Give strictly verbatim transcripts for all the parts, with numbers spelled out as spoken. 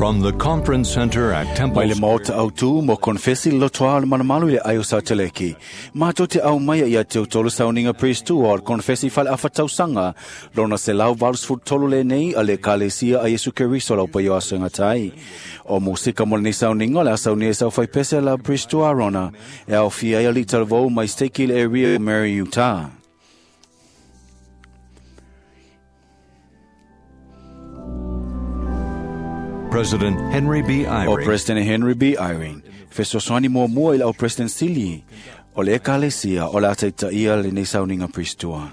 From the Conference Center at Temple Mai le maota au tū mo konfesi le lotoa le malumalu i le ai o Sautaleki. Mātou te au mai ia te utolu sauninga priest o le konfesi fale afatausaga lona se lau valusefulu tolu lenei a le Ekalesia a Iesu Keriso lau paio aso e gata ai. O musika mo lenei sauninga o le a saunia e saufaipese la priest Arona e aofia ai alii talavou mai steki le area Mary Utah. President Henry B. O Eyring. President Henry B. Eyring, fesoasoani muamua i lau President Sili, o le Ekalesia o le a taitaia lenei sauninga priestua.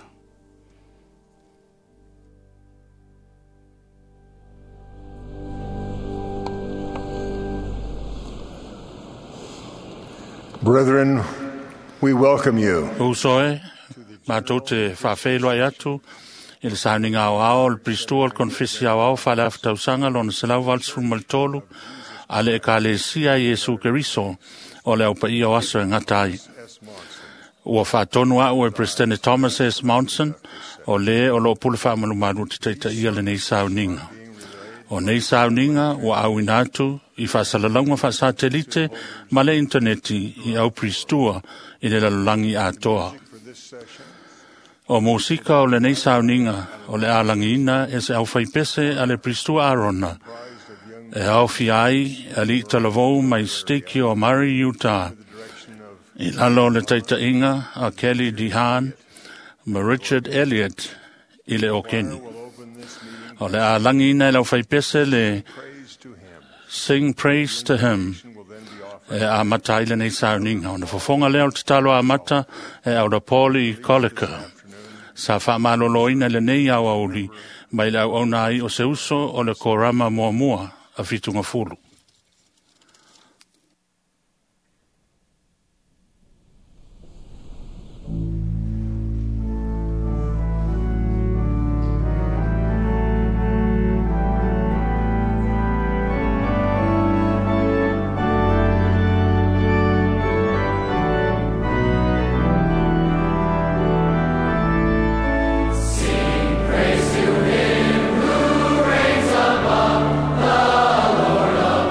Brethren, we welcome you Uso e, mātou te whawheiloi atu, i le sauninga au ao, le pristua, le konfesi au ao, whale awhtausaga, lona selau valusefulu ma le tolu, a le Ekalesia Iesu Keriso, o le au paia o aso e gata ai. Ua whaatonu au e President Thomas S. Monson, o le o loo pule whaamalumalu te taitaia lenei sauninga. O nei sauninga ua auina atu i faasalalauga faasatelite ma le intaneti i au pristua i le lalolagi atoa. O musika o lenei sauninga o le alagiina e se aufaipese a le pristua Arona e aofia ai alii talavou mai steki o Murray, Utah, i lalo o le taitaiga a Kelly DeHaan ma Richard Elliott i le Okeni. O le alagiina e le aufaipese le Sing Praise to Him e amata ai lenei sauninga. Ona fofoga lea o le tatalo amata e aula Pauli Kolika. Sa faamaloloina lenei auauli mai le auauna ai o se uso o le korama muamua a Fitugafulu. Praise to him who reigns above, the Lord of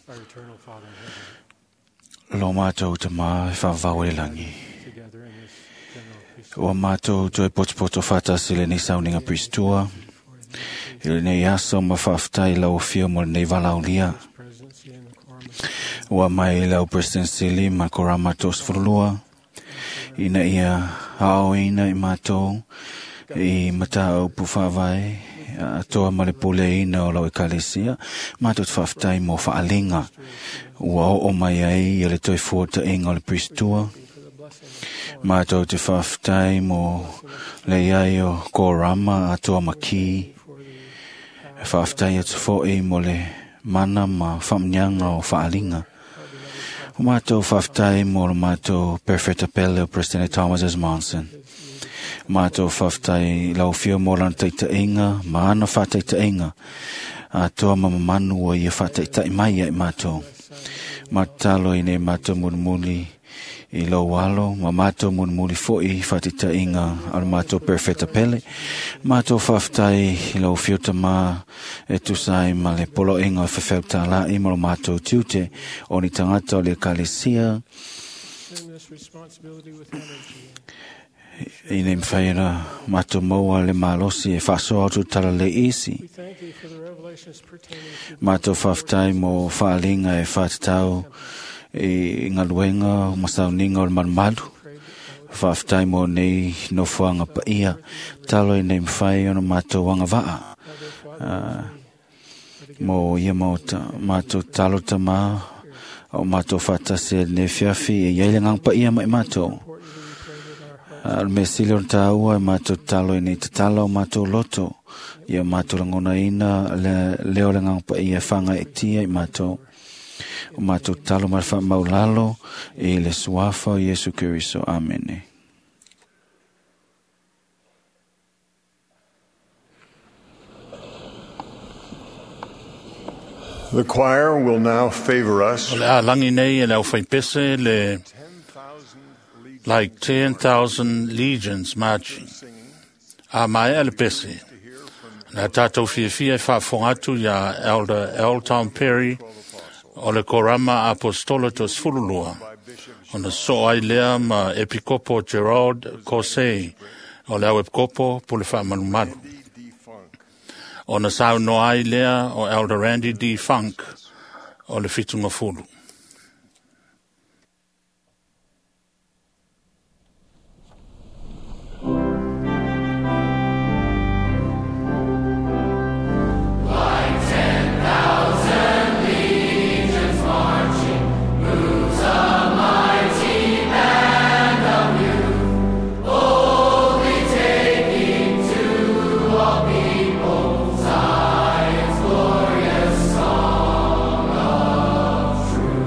Our eternal Father in heaven, Lo mātou te mā e whawau e langi. together in this general priesthood Ua mātou toe potopoto whātasi le nei sauninga pristua. I le nei aso ma whaaftai lau fio mo le nei valaulia. presidency and the quorum of Ua mai lau presidency li ma korama tos furulua. Ina ia hao ina i mātou i mata au puwhawai atoa ma le pule ina o lau ekalesia. Mātou te whaaftai mo whaalinga. Ua o o mai ai i le toi fuata inga o le pristua. for the blessing of Mātou te whaaftai mo le iai o korama atoa maki. for the Whaaftai atu fo'i mo le mana ma whamnyanga o whaalinga. O mātou whaaftai mo le mātou Perfecta Pele o President Thomas S. Monson. Mātou whaaftai lau fio mo lana taitainga, ma ana whataitainga. Atoa ma mamanu o ia whataitai mai ai mātou. Matalo i nei mātou mulimuli i lau alo, ma mātou mulimuli fo'i whataitainga a le mātou Perfecta Pele. Mātou whaaftai i lau fio tamā e tusa ai ma le poloenga o whewheu tāla'i ma lo mātou tiute o ni tangata o le ekalesia assume this responsibility with energy i nei mwhaira mātou maua le malosi e whasoa atu tala le isi. We thank thee for the revelations pertaining to Mātou whaaftai mo whaalinga e whātatau i ngaluenga o masauninga o le malumalu. prayed that Whaaftai mo nei nofoanga paia. Talo i nei mwhai ona mātou anga waa. Other Father, Mo ia maota, mātou talo tamā o mātou whātasi e nei fiafi e iaile ngang paia mai mātou. importantly, we pray that our hearts A le mea sili o tāua e mātou talo i nei tatala o mātou loto. Ia mātou langona ina le, leo le ngang paia whanga e tia i mātou. O mātou talo ma le whaamaulalo i le suafa o Iesu Keriso. Amene. The choir will now favor us O le a langi nei e le au whaipese le like ten thousand legions marching. A mai a le pese. Na tātou fiafia e whaafonga atu ia Elder L. Tom Perry o le Korama Apostolo to Sfululua. Ona so ai lea ma Epikopo Gerald Kosei o le au Epikopo Pule Whaamalumalu. Ona sau no ai lea o Elder Randy D. Funk o le Fitunga Fulu. Song of truth.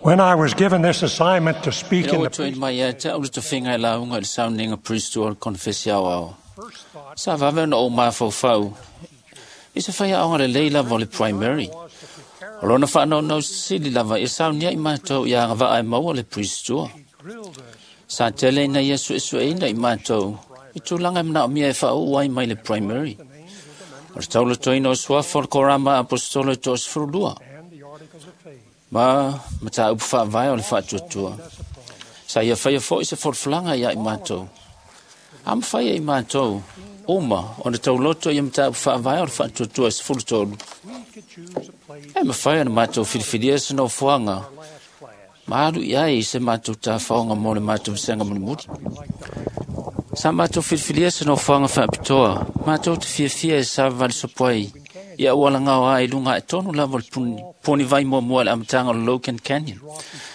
When I was given this assignment to speak Ina in ua the tuuina mai ia te au le tofiga e lauga i le sauniga Priesthood o le konefesi aoao. first thought Sa vave ona ou mafaufau i se faiaoga lelei lava o le primary. was to prepare O lona faanaunau sili lava ia saunia i matou ia agavaa e maua le Priesthood. grilled us Sa tele ina ia suesueina i matou i tulaga e manaomia e faauu ai mai le primary. O le taulatoina o suafa o le korama apostolo e toasefululua and the articles of faith. ma mataupu faavae o le faatuatua. Sa ia faia foi se folafolaga ia i matou. A mafai e i matou uma ona tauloto ia mataupu faavae o le faatuatua e sefulu tolu. We could choose a place E mafai ona matou filifilia se nofoaga our last class. ma alu i ai se matou tafaoga mo le matou vasega mulimuli. We like to hike to Sa matou filifilia se nofoaga faapitoa, matou te fiafia e savavali sopo ai ia aualagao ai i luga ae tonu lava o le puni, puni vai muamua i le amataga o le Logan Canyon.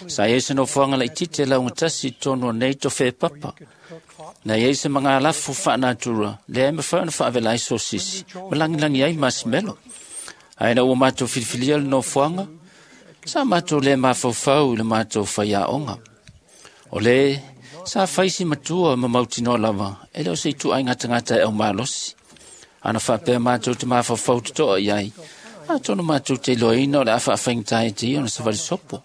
Sa iai se nofoaga laitiiti e laugatasi i totonu o nei tofe papa. could cook hot Na iai se magalafu faanatura, lea e mafai ona faavela ai sosisi, ma lagilagi ai masimelo. Ae ina ua matou filifilia le nofoaga, sa matou le mafaufau i le matou faiaoga. O le sa faisi matua ma mautinoa lava, e le o se ituai gatagata e au malosi. Ana faapea matou te mafaufau totoa i ai, atonu matou te iloaina o le a faafaigata ai te ia ona savali sopo.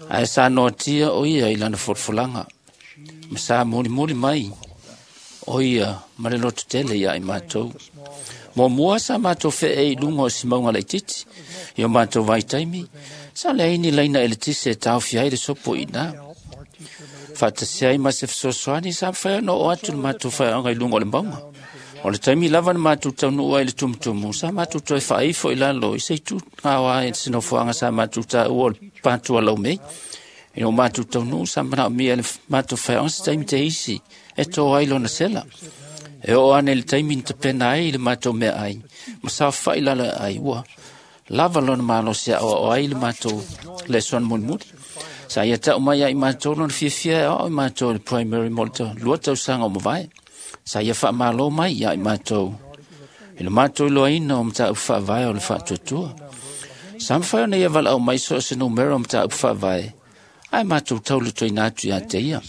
Ae sa noatia o ia i lana folafolaga, ma sa mulimuli mai o ia ma le loto tele ia i matou. Muamua sa matou feei i luga o si mauga laitiiti, i o matou vaitaimi, sa leai ni laina eletise e taofia ai le sopo i ina. help our teacher made Faatasi ai ma se fesoasoani sa mafai ona oo atu le matou faiaoga i luga o le mauga. O le taimi lava na matou taunuu ai i le tumutumu, sa matou toe faaifo i lalo i se itu gaoa ai se nofoaga sa matou taua o le patua laumei. Ina ua matou taunuu sa manaomia e le matou faiaoga se taimi te isi e to ai lona sela. E oo ane i le taimi na tapena ai le matou meaai, ma saofai lalo ai ua lava lona malosi e aoao ai le matou lesona mulimuli. Sa ia tau mai ia i matou lona fiafia e aoao i matou i le primary mo le tau- lua tausaga o mavae. Sa ia faamalo mai ia i matou i le matou iloaina o mataupu faavae o le faatuatua. Sa mafai ona ia valaau mai so o se numera o mataupu faavae, ae matou taulatoina atu ia te ia.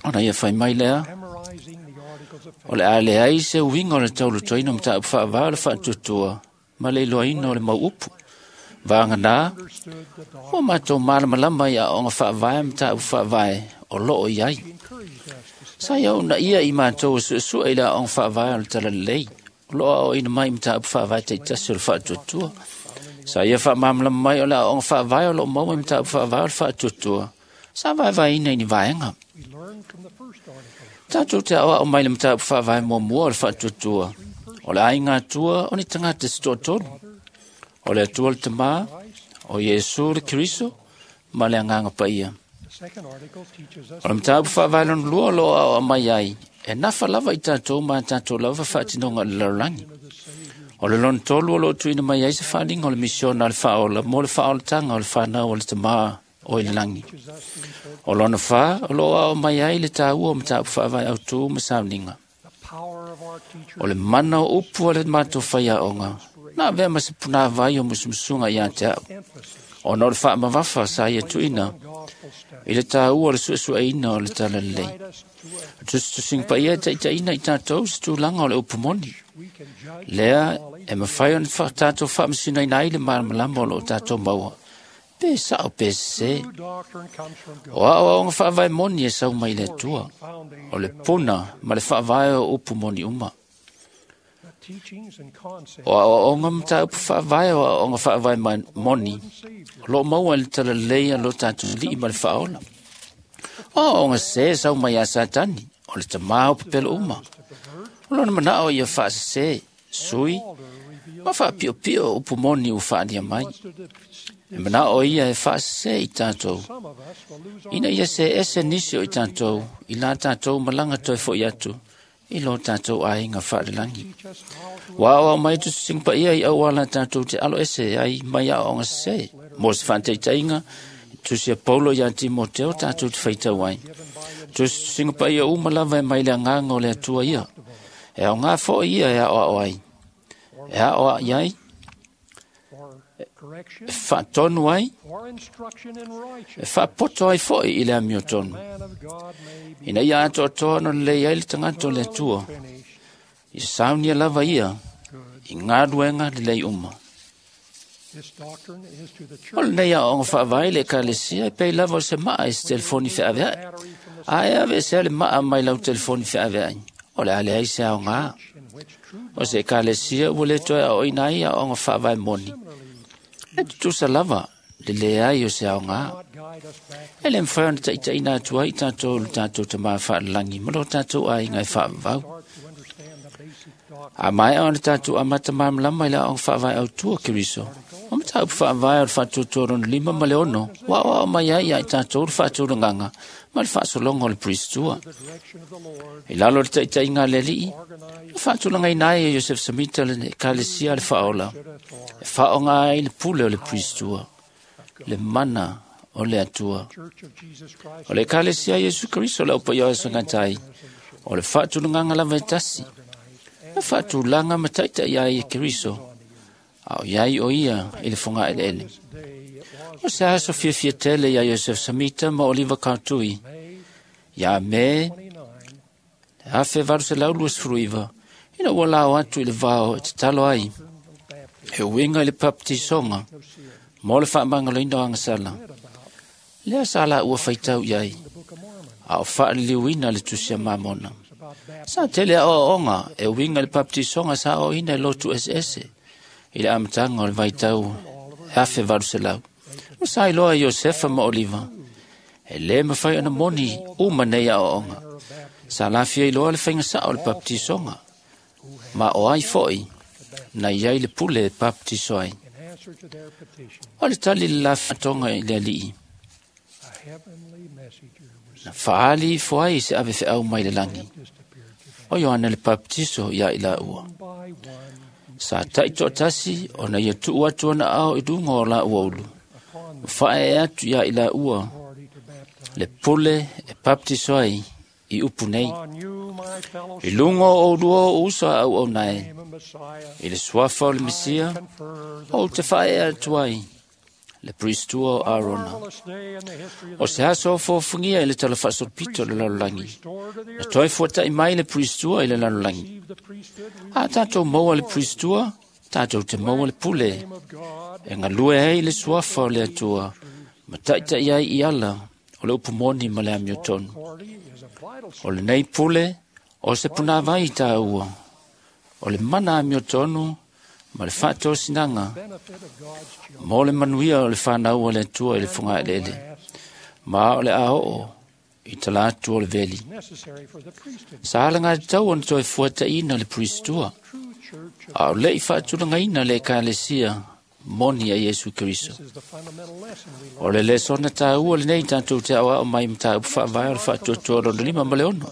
Ona ia fai mai lea, memorizing the articles of o le a leai se uiga o le taulatoina o mataupu faavae o le faatuatua ma le iloaina o le mau upu. Vagana, understood the doctrine. ua matou malamalama i aoga faavae ma mataupu faavae o loo i ai. Encouraged us to Sa ia una ia i matou e suesue i le aoga faavae o le talalelei, o loo aoaoina mai i mataupu faavae taitasi o le faatuatua. Sa ia faamalamalama mai o le aoga faavae o loo maua i mataupu faavae o le faatuatua, sa vaevaeina i ni vaega. we learned from the first article. Tatou te aoao mai le mataupu faavae muamua o le faatuatua. O le aiga atua o ni tagata se toatolu. O le Atua le Tamā, o Iesu le Keriso, ma le Agaga Paia. The second article teaches us O le mataupu faavae lona lua o loo aoao mai ai, e nafa lava i tatou ma tatou lava faatinoga o le lalolagi. O le lona tolu o loo tuuina mai ai se faaliga o le misiona a le faaola mo le faaolataga o le fanau o le Tamā o i le lagi. teaches us the importance O lona whā, o loo aoao mai ai le tāua o mataupu faavae autū ma sauniga. the power of our teacher O le mana o upu a le matou faiaoga, na avea ma se punāvai o musumusuga ia te au. emphasis Ona o le faamavafa sa ia tuuina on gospel study. i le tāua o le suesueina o le talalelei. Guide us to a Tusitusiga paia e taitaina i tatou se tulaga o le upu moni. we can judge Lea e mafai ona fa- tatou faamasinoina ai le malamalama o loo tatou maua. Pe sao pe sese. true doctrine comes from God. O aoaoga faavae moni e sau mai le Atua. Foundation O le puna ma le faavae o upu moni uma. the teachings and concepts O aoaoga mataupu faavae o aoaoga faavae ma- moni. Savior O loo maua i le talalelei a lo tatou alii ma le faaola. O aoaoga sese sau mai ia Satani, o le tamā o pepelo uma. to pervert O lona manao ia faasese, sui, alter reveal ma faapiopio upu moni ua faalia mai. wants to deceive E manao ia e faasese i tatou. some of us will lose our Ina ia se ese nisi o i tatou, i la tatou malaga toe foi atu, i lo tatou aiga faalelagi. teach us how to Ua aoao mai tusitusiga paia i auala tatou te alo ese ai mai aoaoga sese. Mo se faataitaiga, tusi a Paulo ia Timoteo tatou te faitau ai. Tusitusiga paia uma lava e mai le agaga o le Atua ia. E aoga foi ia e aoao ai. E aoai ai, E faatonu ai, e faapoto ai foʻi i le amiotonu, ina ia atoatoa ona lelei ai le tagata o le Atua, ia saunia lava ia i galuega lelei uma. O lenei aoaoga faavae i le Ekalesia e pei lava o se maa i se telefoni feaveai. A e aveesea le maa mai lau telefoni feaveai, o le a leai se aogā. O se Ekalesia ua lē toe aoaoina ai aoaoga faavae moni, e tutusa lava le leai o se aogā. E lē mafai ona taʻitaʻina atu ai i tatou le tatou Tamā faalelagi ma lo tatou aiga e faavavau. A maea ona tatou amata malamalama i le aoaoga faavae autū o Keriso, o mataupu faavae o le faatuatua lona lima ma le ono, ua aoao mai ai ia i tatou le faatulagaga ma le faasologa o le Puristua. I lalo o le taʻitaʻiga a le Alii, na faatulagaina ai e Iosefa Samita le Ekalesia a le Faaola, e faaaoga ai le pule o le Puristua, le mana o le Atua. O le Ekalesia Iesu Keriso le aupaia o aso gata ai, o le faatulagaga lava e tasi, na faatulaga ma taʻitaʻi ai e Keriso, a o iai o ia i le fogaeleele. O se aso fiafia tele iā Iosefa Samita ma Oliva Kautui, iā Me le afe valu selau luasefulu iva, ina ua lao atu i le vao e tatalo ai, e uiga i le papatisoga mo le faamagaloina o agasala. Lea sa laua faitau i ai, a o faaliliuina le Tusi a Mamona. Sa tele aoaoga e uiga i le papatisoga sa aoaoina i lotu eseese i le amataga o le vaitau e afe valu selau. Ma sa iloa e Iosefa ma Oliva, e lē mafai ona moni uma nei aoaoga. Sa lafia iloa le faiga saʻo o le papatisoga, ma o ai foʻi na iai le pule e papatiso ai. O le tali le lafaatoga i le Alii, na faali ifo ai se ave feau mai le lagi, o Ioane le Papatiso iā i laua. Sa taʻitoatasi ona ia tuu atu ona ao i luga o laua ulu, ma faaee atu iā i laua le pule e papatiso ai i upu nei. I luga o oulua o uso a auauna e, i le suafa o le Mesia, ou te faaee atu ai le Puristua o Arona. O se aso o fofogia i le tala faasolopito o le lalolagi, na toe fuataʻi mai le Puristua i le lalolagi. A tatou maua le Puristua, tatou te maua le pule, e galue ai le suafa o le Atua, ma taʻitaʻi ai i ala o le upu moni ma le amiotonu. O lenei pule, o se punāvai i tāua, o le mana amiotonu ma le faatosinaga mo le manuia o le fanau o le Atua i le fogaeleele, ma o le a oo i tala atu o le veli. Sa alagatau ona toe fuataʻina le Puristua, a o leʻi faatulagaina le Ekalesia moni a Iesu Keriso. O le lesona tāua lenei tatou te aoao mai mataupu faavae o le faatuatua lona lima ma le ono.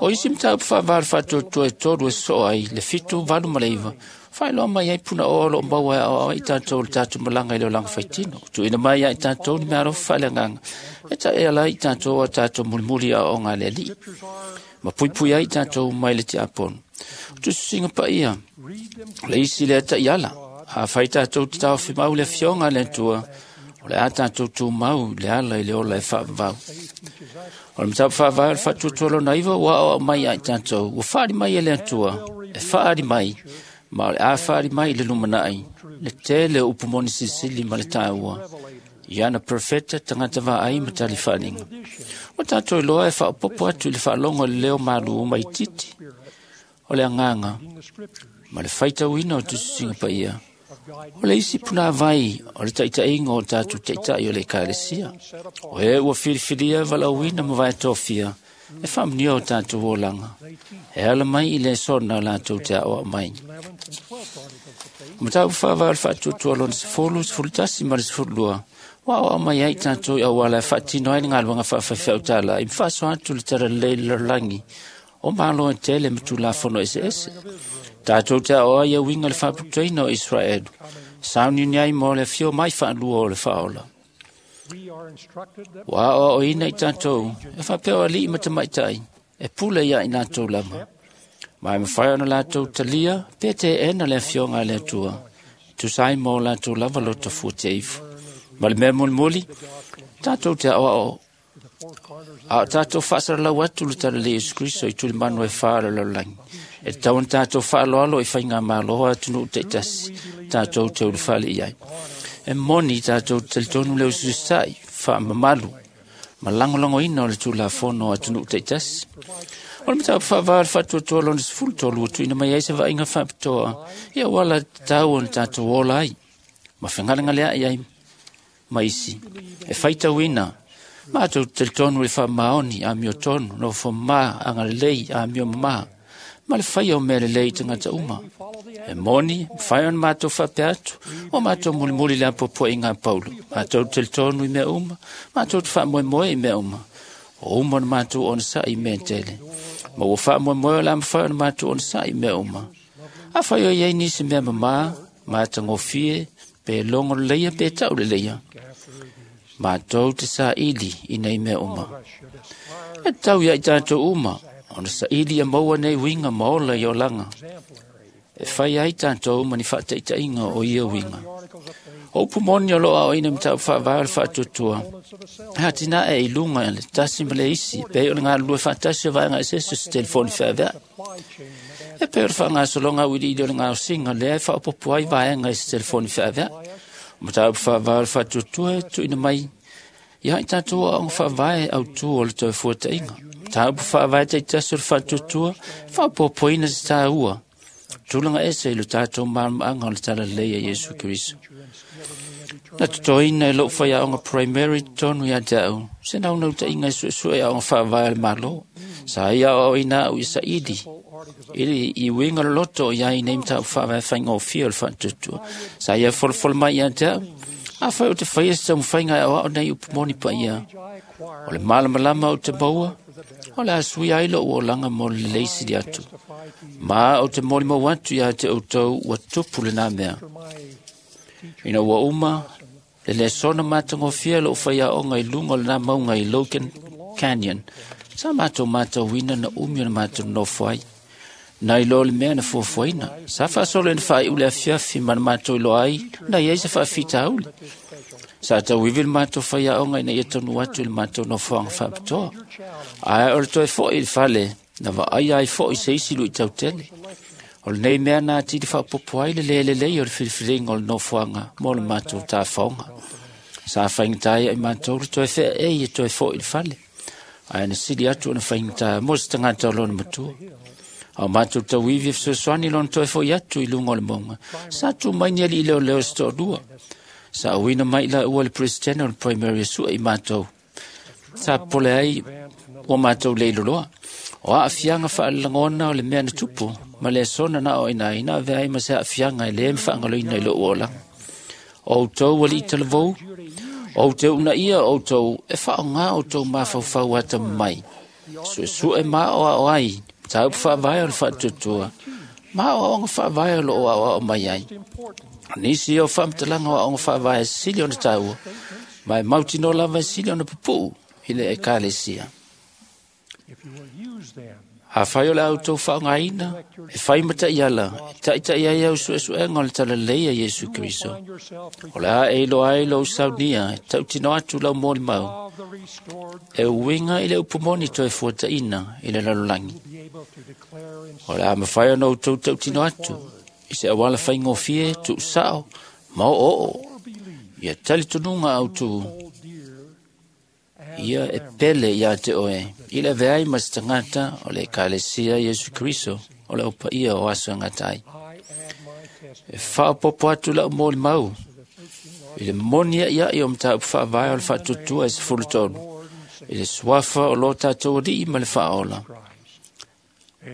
O isi mataupu faavae o le faatuatua e tolu e sosoo ai le fitu, valu ma le iva, faailoa mai ai punaoa o loo maua e aoao ai tatou le tatou malaga i le olaga faitino. Tuuina mai ia i tatou ni meaalofa faaleagaga, e taʻeala ai i tatou a tatou mulimuli aoaoga a le Alii, ma puipui ai i tatou mai le tiapono. O tusitusiga paia, o le isi lea taʻiala, a fai tatou te taofimau le afioga a le Atua, o le a tatou tumau i le ala i le ola e faavavau. O le mataupu faavae o le faatuatua lona iva ua aoao mai ia i tatou, ua faali mai e le Atua, e faali mai, ma o le a faali mai i le lumanai, le tele o upu moni silisili ma le tāua, i ana profeta tagata vaai ma tali faaliga. Ua tatou iloa e faaopopo atu i le faalogo i le leo malū maitiiti, o le agaga ma le faitauina o tusitusiga paia, o le isi punāvai o le taʻitaʻiga o tatou taʻitaʻi o le Ekalesia, o e ua filifilia valaauina ma vaetofia e faamanuia o tatou olaga, e ala mai i le sona o latou te aoao mai. O mataupu faavae o le faatuatua lona sefulu, sefulu tasi ma le sefulu lua, ua aoao mai ai tatou i auala e faatino ai le galuega faafaifeau tālā i ma faasoa atu le talalelei i le lalolagi o malo e tele ma tulafono eseese. Tatou te aoao ai uiga le faaputuaina o Israelu, sauniuni ai mo le afio mai faalua o le Faaola. Ua aoaoina i tatou e faapea o alii ma tamaitai, e pule ia i latou lava, ma e mafai ona latou talia pe teena le afioga a le Atua Tusa ai ma o latou lava loto fuatia ifo. Ma le mea mulimuli, tatou te aoao a o tatou faasalalau atu le talalelei o Iesu Keriso i tulimanu e fa o le lalolagi. E tatau ona tatou faaaloalo i faigamalo a atunuu taitasi tatou te ulufale i ai. E moni tatou te talitonu le usiusisa'i, faamamalu ma lagolagoina o le Tulafono a atunuu taitasi. O le mataupu faavae o le faatuatua lona sefulu tolu ua tuuina mai ai se vaaiga faapitoa i auala tatau ona tatou ola ai ma fegalegalea'i ai ma isi e faitauina matou te talitonu i le faamaoni, amiotonu, nofomā, agalelei, amio mamā ma le faia o mea lelei i tagata uma. E moni, mafai ona matou faapea atu, o matou mulimuli le apoapoaiga a Paulo. Matou te talitonu i mea uma, matou te faamoemoe i mea uma. O uma ona matou onosai i mea tele. Ma ua faamoemoe o le a mafai ona matou onosai i mea uma. Afai o i ai nisi mea mamā, matagofie, pe logo leleia pe tau leleia, matou te saili i nei mea uma. E tatau ia i tatou uma, ona saili ia maua nei uiga ma ola i olaga. E fai ai tatou ma ni faataitaiga o ia uiga. O upu moni o loo aoaina i mataupu faavae o le faatuatua, e atinae i luga le tasi ma le isi, pei o le galulue faatasi o vaega eseese o se telefoni feaveai. E pei o le faagasologa auiliili o le gaosiga lea e faaopoopo ai vaega i se telefoni feaveai. O mataupu faavae o le faatuatua e tuuina mai ia i tatou aoaoga faavae autū o le toefuataiga. Mataupu faavae taitasi o le faatuatua e faaopoopoina se tāua tulaga ese i lo tatou malamalamaaga o le talalelei a Iesu Keriso. Na totoina e lou faiaoga primary totonu ia te au, se naunautaiga e suesue aoga faavae a le Malo. Sa ia aoaoina au i saili i le i uiga loloto o i ai nei mataupu faavae faigofie o le faatuatua. Sa ia folafole mai ia te au, afai ou te faia se taumafaiga e aoao nei upu moni paia. O le malamalama ou te maua, o le a suia ai lou olaga mo le lelei sili atu. Ma ou te molimau atu ia te outou ua tupu lena mea. Ina ua uma, le lesona matagofie lou faiaoga i luga o lena mauga i Logan Canyon, sa matou matauina na umi o le matou nofo ai. Nai lo le mea na fuafuaina, sa faasolo ina faaiu le afiafi ma na matou iloa ai, na i ai se faafitauli. Sa tauivi le matou faiaoga ina ia taunuu atu i le matou nofoaga faapitoa. Ae o le toe foi i le fale, na vaaia ai foi se isi luitau tele. O lenei mea na atili faaopoopo ai le lē lelei o le filifiliga o le nofoaga mo le matou tafaoga. Sa faigata ai ia i matou le toe feaei e toe foi i le fale. Ae na sili atu ona faigata mo se tagata o lona matua. A o matou tauivi e fesoasoani lona toe foi atu i luga o le mauga, sa tu mai ni alii leoleo se toalua. Sa auina mai laua le presidente o le primary e sue i matou. Sa popole ai ua matou le iloloa. O aafiaga faalelagona o le mea na tupu, ma le sona na aoaina ai na avea ai ma se aafiaga e lē mafaagaloina i lou olaga. O outou alii talavou, o ou te uunaia outou e faaaogā outou mafaufau atamamai. Suesue ma aoao ai mataupu faavae o le faatuatua, ma aoaoga faavae o loo aoao mai ai. O nisi o faamatalaga o aoga faavae e sili ona taua, ma e mautinoa lava e sili ona pupuu i le ekalesia. Afai o le a outou faaaogaina, e fai ma taiala, e taitai ai au suesuega o le talalelei a Iesu Keriso. O le a e iloa ai lou saunia e tautino atu lau molimau, e uiga i le upu moni toe fuataina i le lalolagi. O le a mafai ona outou tautino atu i se auala faigofie, tuusao ma oooo ia talitonuga autū ia e pele ia te oe i le avea ai ma se tagata o le ekalesia Iesu Keriso o le aupaia o aso e gata ai. E faaopoopo atu lau molimau i le moni aiai o mataupu faavae o le faatuatua e sefulu tolu i le suafa o lo tatou alii ma le faaola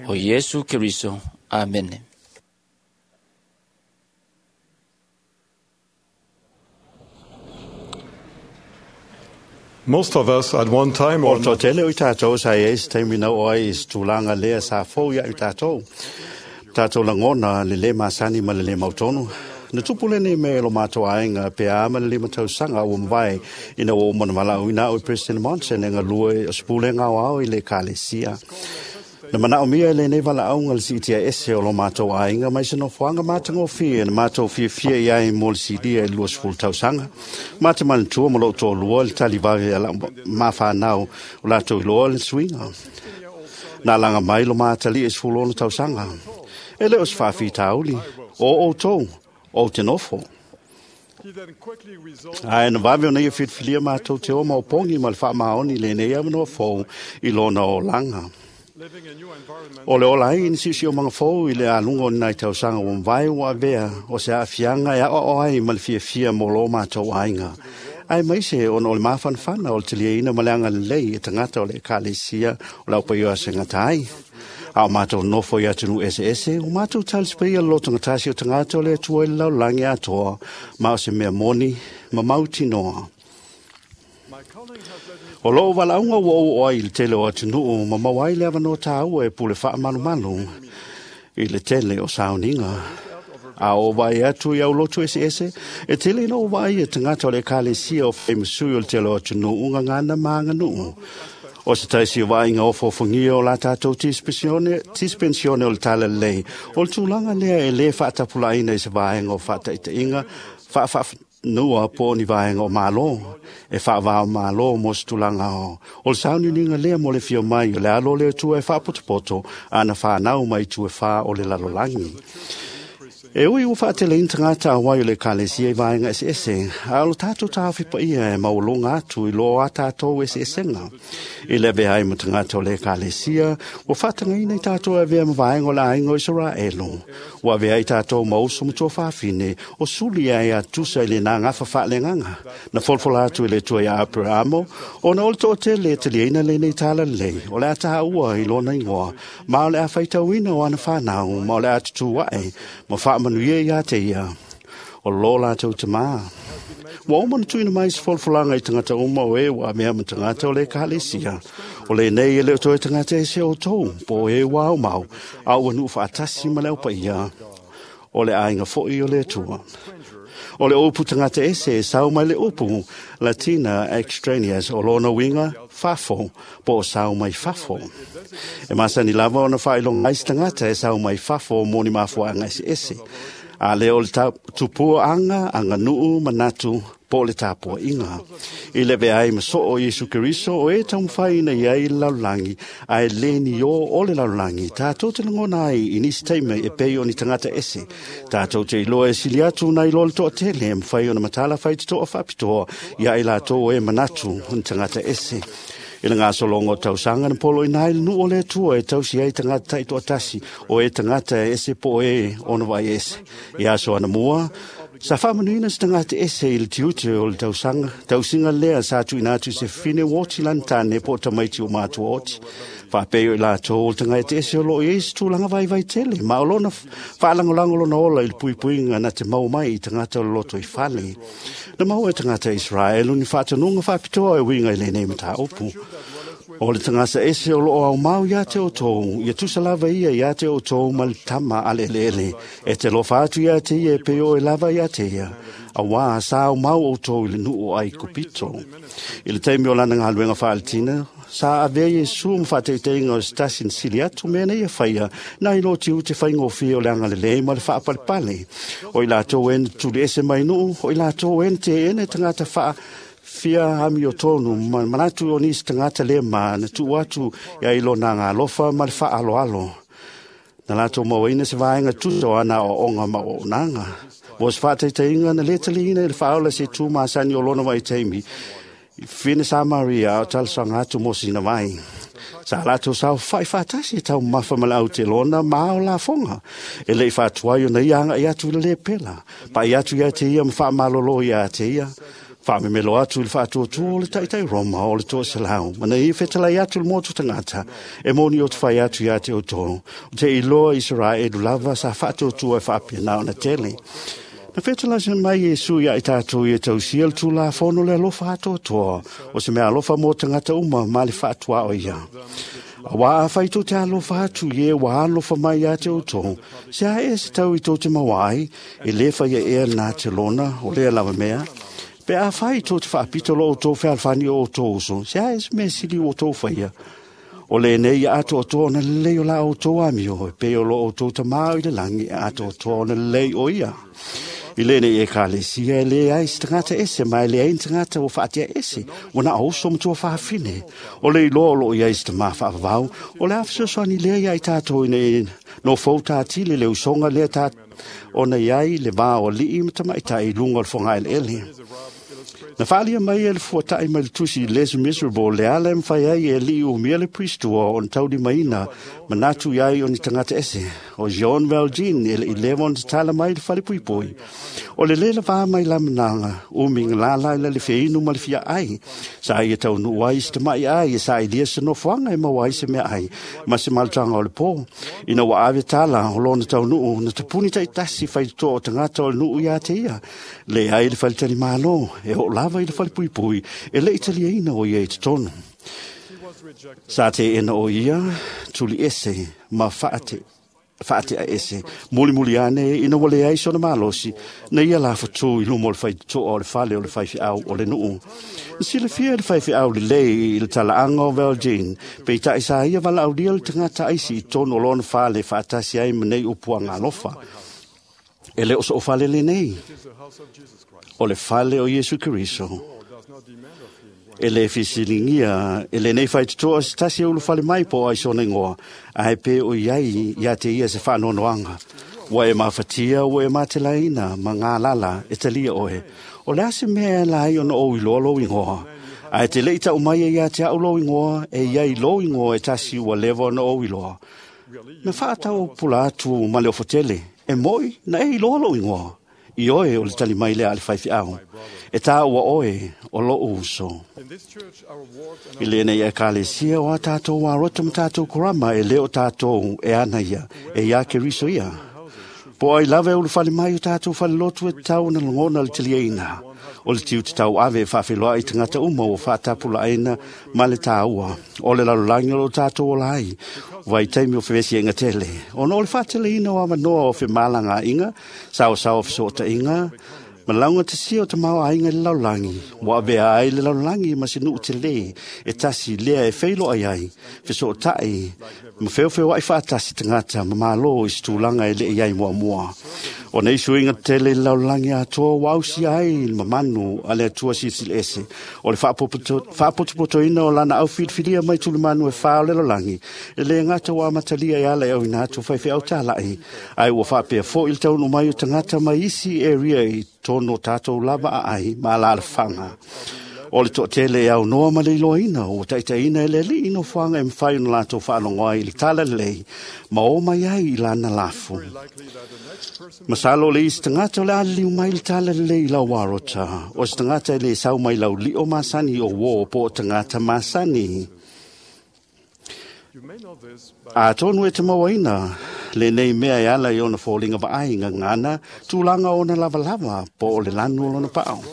o Iesu Keriso. Amene. Most of us at one time O or le toatele o i tatou sa i ai se taimi na oo ai i se tulaga lea sa fou ia i tatou. Tatou lagona le lē masani ma le lē mautonu. Na tupu lenei mea i lo matou aiga pe a ma le lima tausaga ua mavae ina ua uma ona valaauina au e President Monson e galue o se pulega aoao i le ekalesia. Na manaomia e lenei valaauga le siitia ese o lo matou aiga mai se nofoaga matagofie na matou fiafia i ai mo le silia i le luasefulu tausaga. Ma te manatua ma lou toalua le talivave a lau mafanau o latou iloa le suiga. Na alaga mai lo matalii e sefulu ono tausaga. E le o se faafitauli, o outou, ou te nofo. Ae na vave ona ia filifilia matou te o maopogi ma le faamaoni i lenei avanoa fou i lona olaga. O le ola ai i ni siosiomaga fou i le aluga o ni nai tausaga ua mavae ua avea o se aafiaga e aoao ai ma le fiafia mo lo matou aiga. Ae maise ona o le mafanafana o le taliaina ma le agalelei e tagata o le ekalesia o le aupaia segata ai. A o matou nofo i atunuu eseese, o matou talisepaia le lotogatasi o tagata o le Atua i le lalolagi atoa, ma o se mea moni ma mautinoa. O lou valaauga ua ou oo ai i le tele o atunuu ma maua ai le avanoa taua e pule faamalumalu i le tele o sauniga. A o vaai atu i aulotu eseese, e tele ina ou vaai e tagata o le ekalesia o faimasui o le tele o atunuu gagana ma aganuu. O se taisi o vaaiga ofoofogia o la tatou tispensione o le talalelei, o le tulaga lea e lē faatapulaaina i se vaega o faataitaiga faafaafanua po o ni vaega o Malo, e faavao Malo mo se tulaga o. O le sauniuniga lea mo le fia mai o le alo o le Atua e faapotopoto ana fanau mai itu e fā o le lalolagi. E ui ua faateleina tagata auai o le ekalesia i vaega eseese, a o le tatou taofi paia e maualuga atu i lo a tatou eseesega. I le avea ai ma tagata o le ekalesia, ua faatagaina i tatou e avea ma vaega o le aiga o Isaraelu. Ua avea ai tatou ma uso ma tuafafine, o suli ai a tusa i le nagafa faaleagaga. Na folafola atu i le Atua ia Aperamo, ona o le toatele e taliaina lenei talalelei, o le a taua i lona igoa, ma o le a faitauina o ana fanau, ma o le a tutū ae, ma faamanuia ia te ia, o lo latou tamā. Ua uma na tuuina mai se folafolaga i tagata uma o e ua avea ma tagata o le ekalesia. O lenei e le o toe tagata ese outou, po o e ua aumau, a ua nuu faatasi ma le aupaia, o le aiga foi o le Atua. O le upu tagata ese e sau mai le upu Latina extraneous o lona uiga fafo, po o sau mai fafo. E masani lava ona faailoga ai se tagata e sau mai fafo mo ni mafuaaga eseese. A lea o le tupua aga, aganuu, manatu, po o le tapuaiga. I le avea ai ma soo Iesu Keriso o e taumafaiina i ai le lalolagi, ae le ni o o le lalolagi, tatou te lagona ai i nisi taimi e pei o ni tagata ese. Tatou te iloa e sili atu nai lo le toatele e mafai ona matala faitotoa faapitoa ia i latou o e manatu o ni tagata ese. I le gasologa o tausaga na poloina ai le nuu o le Atua e tausi ai tagata taitoatasi o e tagata e ese po o e ona vaai ese. I aso anamua, sa faamanuina se tagata ese i le tiute o le tausaga, tausiga lea sa tuuina atu i se fine oti lana tane po o tamaiti o matua oti. Faapei o i latou o le tagata ese o loo i ai se tulaga vaivai tele, ma o lona faalagolago lona ola i le puipuiga na te mau mai i tagata o le loto i fale. Na maua e tagata Israelu ni faatanuga faapitoa e uiga i lenei mataupu. O le tagata ese o loo aumau ia te outou, ia tusa lava ia ia te outou ma le tama a le eleele. E te lofa atu ia te ia e pei o e lava ia te ia. Auā sa aumau outou i le nuu o Aikupito. I le taimi o lana galuega faaletina, sa avea Iesu ma faataitaiga o se tasi na sili atu mea nei e faia, nai lo tiute faigofie o le agalelei ma le faapalepale. O i latou e na tuli ese mai nuu, o i latou e na teena e tagata faa fia amio tonu, ma manatu o nisi tagata le ma na tuu atu ia i lona agalofa ma le faaloalo. Na latou mauaina se vaega tusa o ana aoaoga ma auaunaga. Mo se faataitaiga na lē taliina i le faaola se tu masani o lona vaitaimi, fine Samaria a o talosaga atu mo sina vai. Sa latou saofai faatasi e taumafa ma le autelona ma ao lafoga. E lei faatuai ona ia agai atu i le lepela. Pai atu ia te ia ma faamalolo ia te ia. Faamemelo atu i le faatuatua o le taitai Roma o le toaselau. Mana ia fetalai atu le motu tagata, e moni o te fai atu ia te outou. O te iloa Israelu lava sa faatuatua e faapena ona tele. Na fetalai mai Iesu ia i tatou ia tausia le tulafono le alofa atoatoa, o se mea alofa mo tagata uma ma le faatuao ia. Auā afai tou te alofa atu i e ua alofa mai ia te outou, se a e se tau i tou te maua ai, e lē faia ea lena te lona o lea lava mea. Pe afai tou te faapito lo outou fealofani o outou uso, se a e se mea sili ua outou faia. O lenei ia atoatoa ona lelei o la outou amio, e pei o lo outou tamā i le lagi e atoatoa ona lelei o ia. I lenei ekalesia e le ai se tagata ese, ma e leai ni tagata ua faatea ese, ua na o uso ma tuafafine. O le iloa o loo i ai se tamā faavavau, o le a fesoasoani lea ia i tatou ina ia nofou tatili le usoga lea ta ona i ai le va o alii ma tamaitai i luga o le fogaeleele. Na faalia mai e le fuatai mai le tusi Les Miserable le ala e mafai ai e alii umia le Priestua ona taulimaina manatu i ai o ni tagata ese. O Jean Valjean e le i leva ona tatala mai le falepuipui. O le lē lavā mai lamanaga umi galala i le feinu ma le fiaai. Sa ia taunuu ai se tama'i ai e sailia se nofoaga e maua ai se meaai ma se malutaga o le pō. Ina ua ave tala o lona taunuu na tapuni taitasi faitotoa o tagata o le nuu iā te ia. Leai le faletalimālō e oo lava i le falepuipui e le i taliaina o ia i totonu. Sa teena o ia tuli ese ma faate faatea ese mulimuli ane ina ua leai sona malosi na ia lafatū i luma o le faitotoa o le fale o le faifeau o le nuu. Na silafia e le faifeau lelei i le talaaga o Valjean, peitai sa ia valaaulia le tagata aisi i totonu o lona fale faatasi ai ma nei upuaga alofa. E le o soo fale lenei, o le fale o Iesu Keriso. E le fesiligia e lenei faitotoa se tasi e ulufale mai po o ai sona igoa, ae pe o i ai ia te ia se faanoanoaga. Ua e mafatia, ua e matelaina ma galala e talia oe. O le a se mea e ala ai ona ou iloa lou igoa? Ae te le i tau mai e ia te au lou igoa, e i ai lou igoa e tasi ua leva ona ou iloa. Na faatau pula atu ma le ofotele, e moi na e iloa lou igoa. I oe o le tali mai lea a le faifeau, e tāua oe o lou uso. I lenei ekalesia o a tātou arota ma tātou korama e le o tātou e ana ia, e ia Keriso ia. Po ai lava e ulufale mai o tātou falelotu e tatau ona lagona le taliaina. O le tiu tatau ave e faafeiloai i tagata uma ua faatapulaaina ma le tāua. O le lalolagi o lo tātou ola ai, vaitaimi o fevesiaiga tele. Ona o le faateleina o avanoa o femalagaaiga, saosaoa o fesootaiga, ma laugatasia o tamaoaiga i le lalolagi, ua avea ai le lalolagi ma se nuu telē e tasi lea e feiloai ai, fesootai ma feofeoai faatasi tagata ma mālō i se tulaga e le i ai muamua. O nei suiga tele i le lalolagi atoa ua ausia ai le mamanu a le Atua Silisili Ese, o le faapotopotoina o lana aufilifilia mai tulimanu e fā o le lalolagi, e le gata ua amatalia e ala e auina atu faifeau tala'i, ae ua faapea fo'i le taunuu mai o tagata mai isi area i totonu o tatou lava aai ma alalafaga. O le toatele e aunoa ma le iloaina ua taitaiina e le alii nofoaga e mafai ona latou faalogo ai i le tala lelei ma o mai ai i lana lafu. Masalo o le isi tagata o le a liliu mai le tala lelei i lau arota, o se tagata e le sau mai lau lio masani o uō po o tagata masani. Atonu e te mauaina lenei mea e ala i ona foliga vaai gagana tulaga o ona lavalava po o le lanu o lona paao.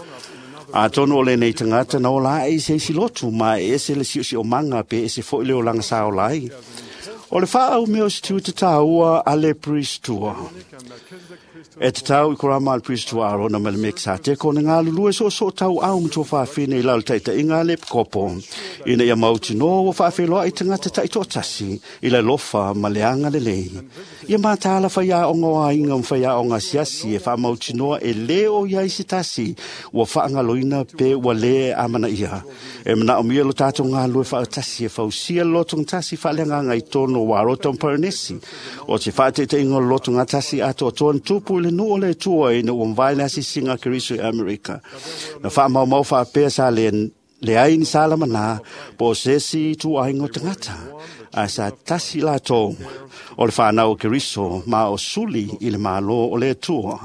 Atonu o lenei tagata na ola ae i se isi lotu ma e ese le siosiomaga pe ese fo'i le olaga sa ola ai. O le faaau mea o se tiu tatāua a le Priestua. E tatau i korama a le Priestua Arona ma le Mekisateko na galulue soosoo tauau ma tuafafine i lalo taitaiga a le Epikopo. Ina ia mautinoa ua faafeiloai tagata taitoatasi i le alofa ma le agalelei. Ia mataala faiaoga o aiga ma faiaoga asiasi e faamautinoa e lē o i ai se tasi ua faagaloina pe ua lē amanaia. E manaomia lo tatou galulue faatasi e fausia le lotogatasi faaleagaga i totonu o Arota ma Paranesi. O se faateitaiga o le lotogatasi atoatoa na tupu i le nuu o le Atua ina ua mavae le asiasiga a Keriso i Amerika. Na faamaumau faapea sa le leai ni salamanā po o se isi ituaiga o tagata, ae sa tasi latou o le fanau o Keriso ma o suli i le mālō o le Atua.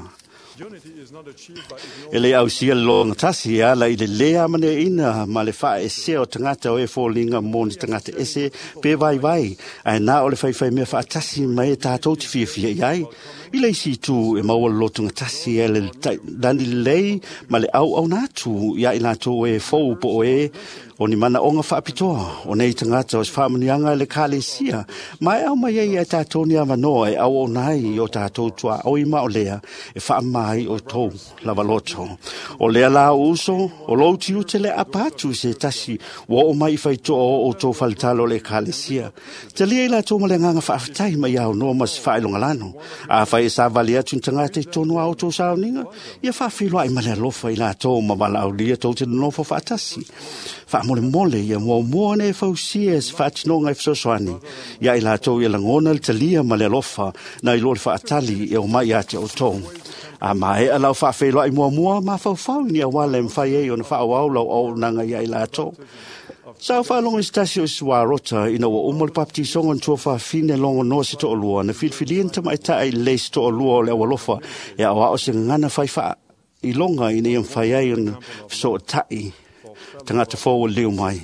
E le ausia le logatasi e ala i le lē amaneaina ma le faaesea o tagata o e foliga mo ni tagata ese pe vaivai, ae na o le faifaimea faatasi mai e tatou te fiafia i ai. I le isi itu e maua le lotogatasi e le lani lelei ma le auauna atu ia i latou e fou po o e o ni manaoga faapitoa o nei tagata o se faamanuiaga i le ekalesia ma e aumai ai ia tatou ni avanoa e auauna ai i o tatou tuaoi ma o lea e faamama ai outou lava loto. O lea la o uso, o lou tiute le apa atu i se tasi ua oo mai i faitoa o outou faletalo o le ekalesia. Talia i latou ma le agaga faafetai ma ia aunoa ma se faailogalano. Afai e savali atu ni tagata i totonu a outou sauniga, ia faafeiloai ma le alofa i latou ma valaaulia tou te nonofo faatasi. Faamolemole ia muamua ona e fausia se faatinoga e fesoasoani ia i latou ia lagona le talia ma le alofa nai lo le faatali e omai ia te outou. A maea lau faafeiloai muamua, mafaufau i ni auala e mafai ai ona faaauau lau auaunaga ia i latou. Sa ou faalogo i se tasi o isi ina ua uma le papatisoga na tuafafine logonoa se toalua na filifilia ni tamaitai lelei se toalua o le aualofa e aoao se gagana fai faailoga ina ia mafai ai ona fesootai tagata fou o liliu mai.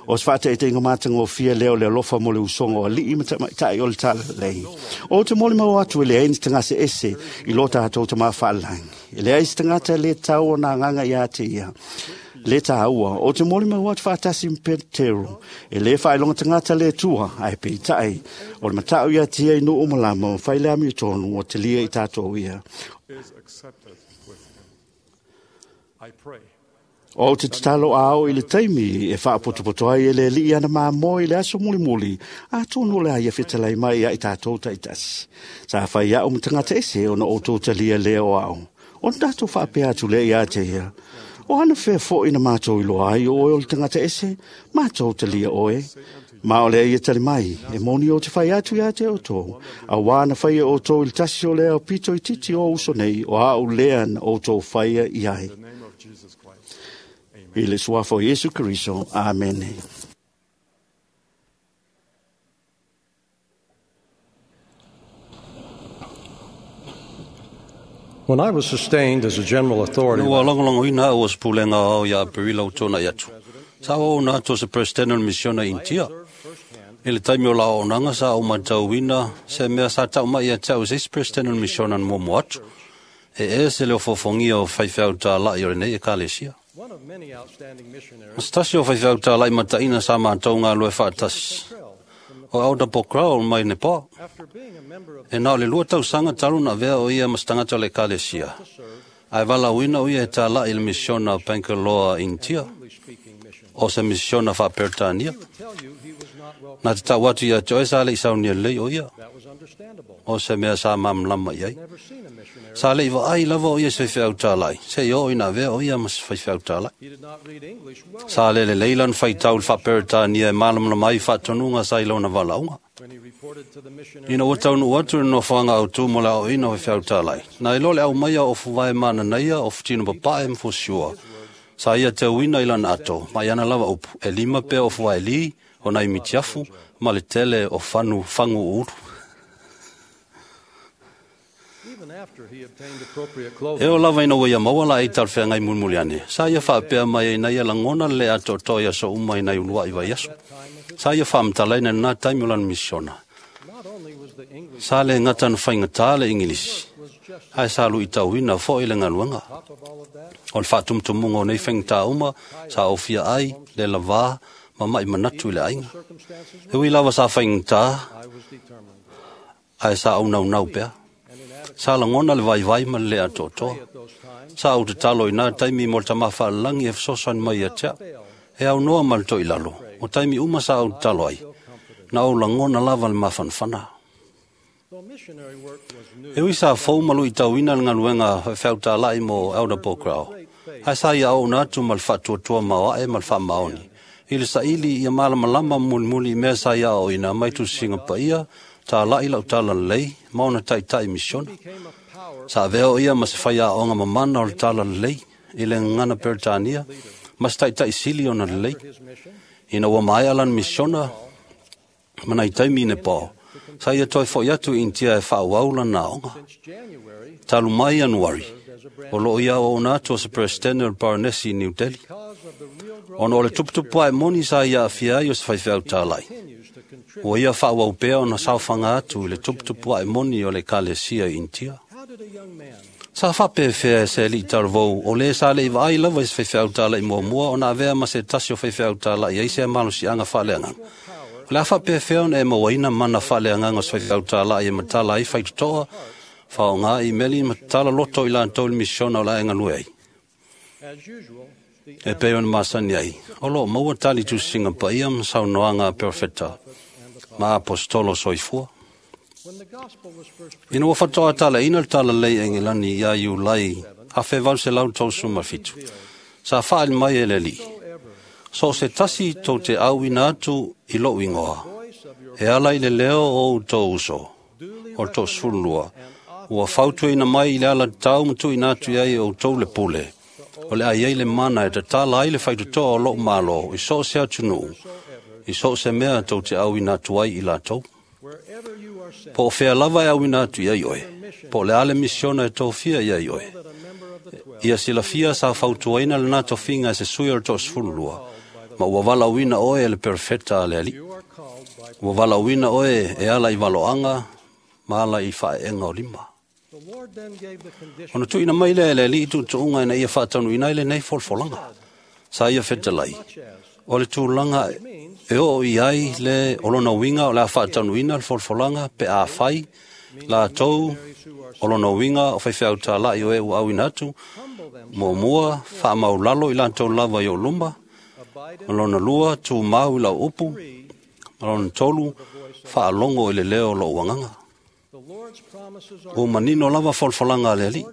O se faataitaiga matagofie lea o le alofa mo le usoga o alii ma tamaitai o le talalelei. O te molimau atu e leai ni tagase ese i lo tatou Tamā Faalelagi. E leai se tagata e le tatau ona agaga ia te ia. Le tāua, o te molimau atu faatasi ma Petero, e le faailoga tagata le Atua, ae peitai, o le matau ia te ia i nuu ma lama, ma fai le amiotonu ua talia i tatou ia. Is accepted with him. I pray. O te tatalo a ao i le taimi e faapotopoto ai e le alii ana mamoe i le aso mulimuli, atonu o le a ia fetalai mai ia i tatou taitasi. Sa fai au ma tagata ese ona outou talia lea o ao. Ona tatou faapea atu lea ia te ia. O ana fea foi na mātou iloa ai o oe o le tagata ese, mātou talia oe. Ma o lea ia tali mai, e moni o te fai atu ia te outou. Auā na faia outou i le tasi o lea o pito i titi o uso nei, o au lea na outou faia i ai. In the name of Jesus Christ. I le suafa o Iesu Keriso. Amene. When I was sustained as a general authority, Ua lagolagoina au o se pulega ao ia Aperila o tōna i atu. Sa o na atu o se presidente o le misiona Intia. I le taimi o la auaunaga sa ou matauina se mea sa tau mai ia te au se isi presidente o le misiona na muamua atu. E ese le ofofogia o faifeau tālai o lenei ekalesia. one of many outstanding missionaries, Ma se tasi o faifeau tālai mataina sa mātou ngā lue faatasi. O Elder Pokhrel mai Nepal. after being a member of E nā o le lua tausaga talu na avea o ia ma se tagata o le ekalesia. Ae valaauina o ia e tālai i le misiona o Bangalore, Intia, English-speaking mission, o se misiona faaperetania. he would tell you he was not well. Na te tau atu ia te oe sa le i saunia lelei o ia, That was understandable. o se mea sa mamlama i ai. Never seen a missionary. Sa le i vaai lava o ia se faifeau tālai, se i oo ina avea o ia ma se faifeau tālai. He did not read English well Sa le lelei lana faitau i le faaperetania e malamalama ai faatonuga sa i lona valaauga. when he reported to the missionary. Ina ua taunuu atu i le nofoaga autū mo le aoaoina o faifeau tālai. Na iloa le aumaia o fuvae mananaia o futino papae ma fusiua. Sa ia teuina i lana ato, ma i ana lava upu, e lima pea o fuvae li, o nai mitiafu, ma le tele o fanu fangu ulu. Even after he obtained appropriate E clothing, o lava ina ua ia maua la ei talafeagai mulimuli ane. Sa ia faapea mai ai na ia lagona le le atoatoa i aso uma ina i uluai vaiaso. Sa ia faamatalaina i lenā taimi o lana misiona. not only was the English Sa le gata na faigata le Ingilisi, was just ae sa luitauina foi le galuega. top of all of that, O le faatumutumuga o nei faigata uma, sa ofia ai, le lavā, ma mai manatu i le aiga. circumstances, E ui lava sa faigata, I was determined. ae sa aunaunau pea. Sa lagona le vaivai ma le le atoatoa. At those times, Sa ou tatalo i nā taimi mo le tamā faalelagi e fesoasoani mai ia te au. E aunoa ma le toilalo, o taimi uma sa ou tatalo ai. Na ou lagona lava le mafanafana. though missionary work was new, E ui sa fou ma luitauina le galuega faifeau tālai mo Elder Pokhrel. Ae sa ia auauna atu ma le faatuatua maoae ma le faamaoni. I le saili ia malamalama mulimuli i mea sa ia aoaoina mai tusiga paia, tālai lau talalelei, ma ona taitai misiona. became a power Sa avea o ia ma se fai aoga mamana o le talalelei, i le gagana Peretania, ma se taitai sili ona lelei. his mission, Ina ua maea lana misiona, ma nai taimi i Nepal. Sa ia toe fo'i atu i Intia e faaauau lana aoga. since January, Talu mai Ianuari, as a branch o loo ia auauna atu o se presidente o le Baronesi i New Delhi. because of the real growth Ona o le tuputupu ae moni sa ia aafia ai o se faifeau tālai. continues to contribute Ua ia faaauau pea ona saofaga atu i le tuputupuaʻe moni o le ekalesia i Initia. Sa faapefea e se aliʻi talavou o lē sa leʻi vaai lava i se faifeau talaʻi muamua ona avea ma se tasi o faifeau talaʻi ai se malosiaga faaleagaga. O le a faapefea ona e mauaina mana faaleagaga o se faifeau talaʻi e matala ai faitotoa, faaaogā imeli ma tatala loto i latou i le misiona o le a e galue ai. E pei ona masani ai, o loo maua tali tusiga paia ma saunoaga a perofeta ma aposetolo soifua. Ina ua faatoa talaʻiina le talalelei Egilani iā Iulai afe valu selau tolusefulu ma fitu, sa faaali mai e le Alii, so o se tasi tou te auina atu i loʻu igoa, e ala i le leo o outou uso, o le toasefululua, ua fautuaina mai i le ala tatau ma tuuina atu i ai e outou le pule, o le a iai le mana e tatala ai le faitotoa o loʻu mālō i so o se atunuu, i so o se mea tou te auina atu ai i latou. Po o fea lava e auina atu i ai oe, po o le a le misiona e tofia i ai oe. Ia silafia sa fautuaina lena tofiga e se sui o le toasefululua, ma ua valaauina oe e le perofeta a le Alii. Ua valaauina oe e ala i valoaga ma ala i faaeega o lima. Ona tuuina mai lea e le Alii tuutuuga ina ia faataunuuina ai lenei folafolaga. Sa ia fetalai, o le tulaga e oo i ai le o lona uiga o le a faataunuuina le folafolaga pe afai latou o lona uiga o faifeau talaʻi o e ua auina atu, muamua, faamaulalo i latou lava i ou luma, ma lona lua, tumau i lau upu, ma lona tolu, faalogo i le leo o lou agaga. Ua manino lava folafolaga a le Alii,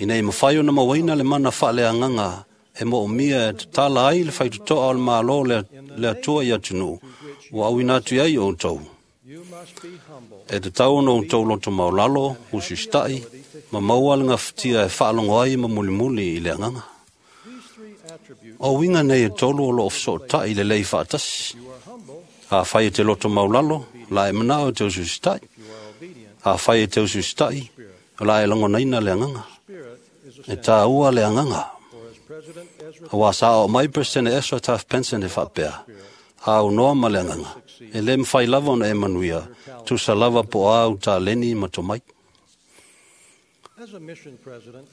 ina ia mafai ona mauaina le mana faaleagaga e moomia e tatala ai le faitotoa o le mālō le Atua i atunuu, ua auina atu i ai outou. E tatau ona outou loto maulalo, usiusitaʻi, ma maua le gafatia e faalogo ai ma mulimuli i le agaga. O uiga nei e tolu o loo fesootaʻi lelei faatasi. Afai e te loto maulalo, la e manao e te usiusitaʻi. Afai e te usiusitaʻi, o la e lagonaina le agaga. E tāua le agaga. Auā sa oo mai Peresetene Ezra Taft Benson e faapea, aunoa ma le agaga, e lē mafai lava ona e manuia, tusa lava po o a au taleni ma tomai.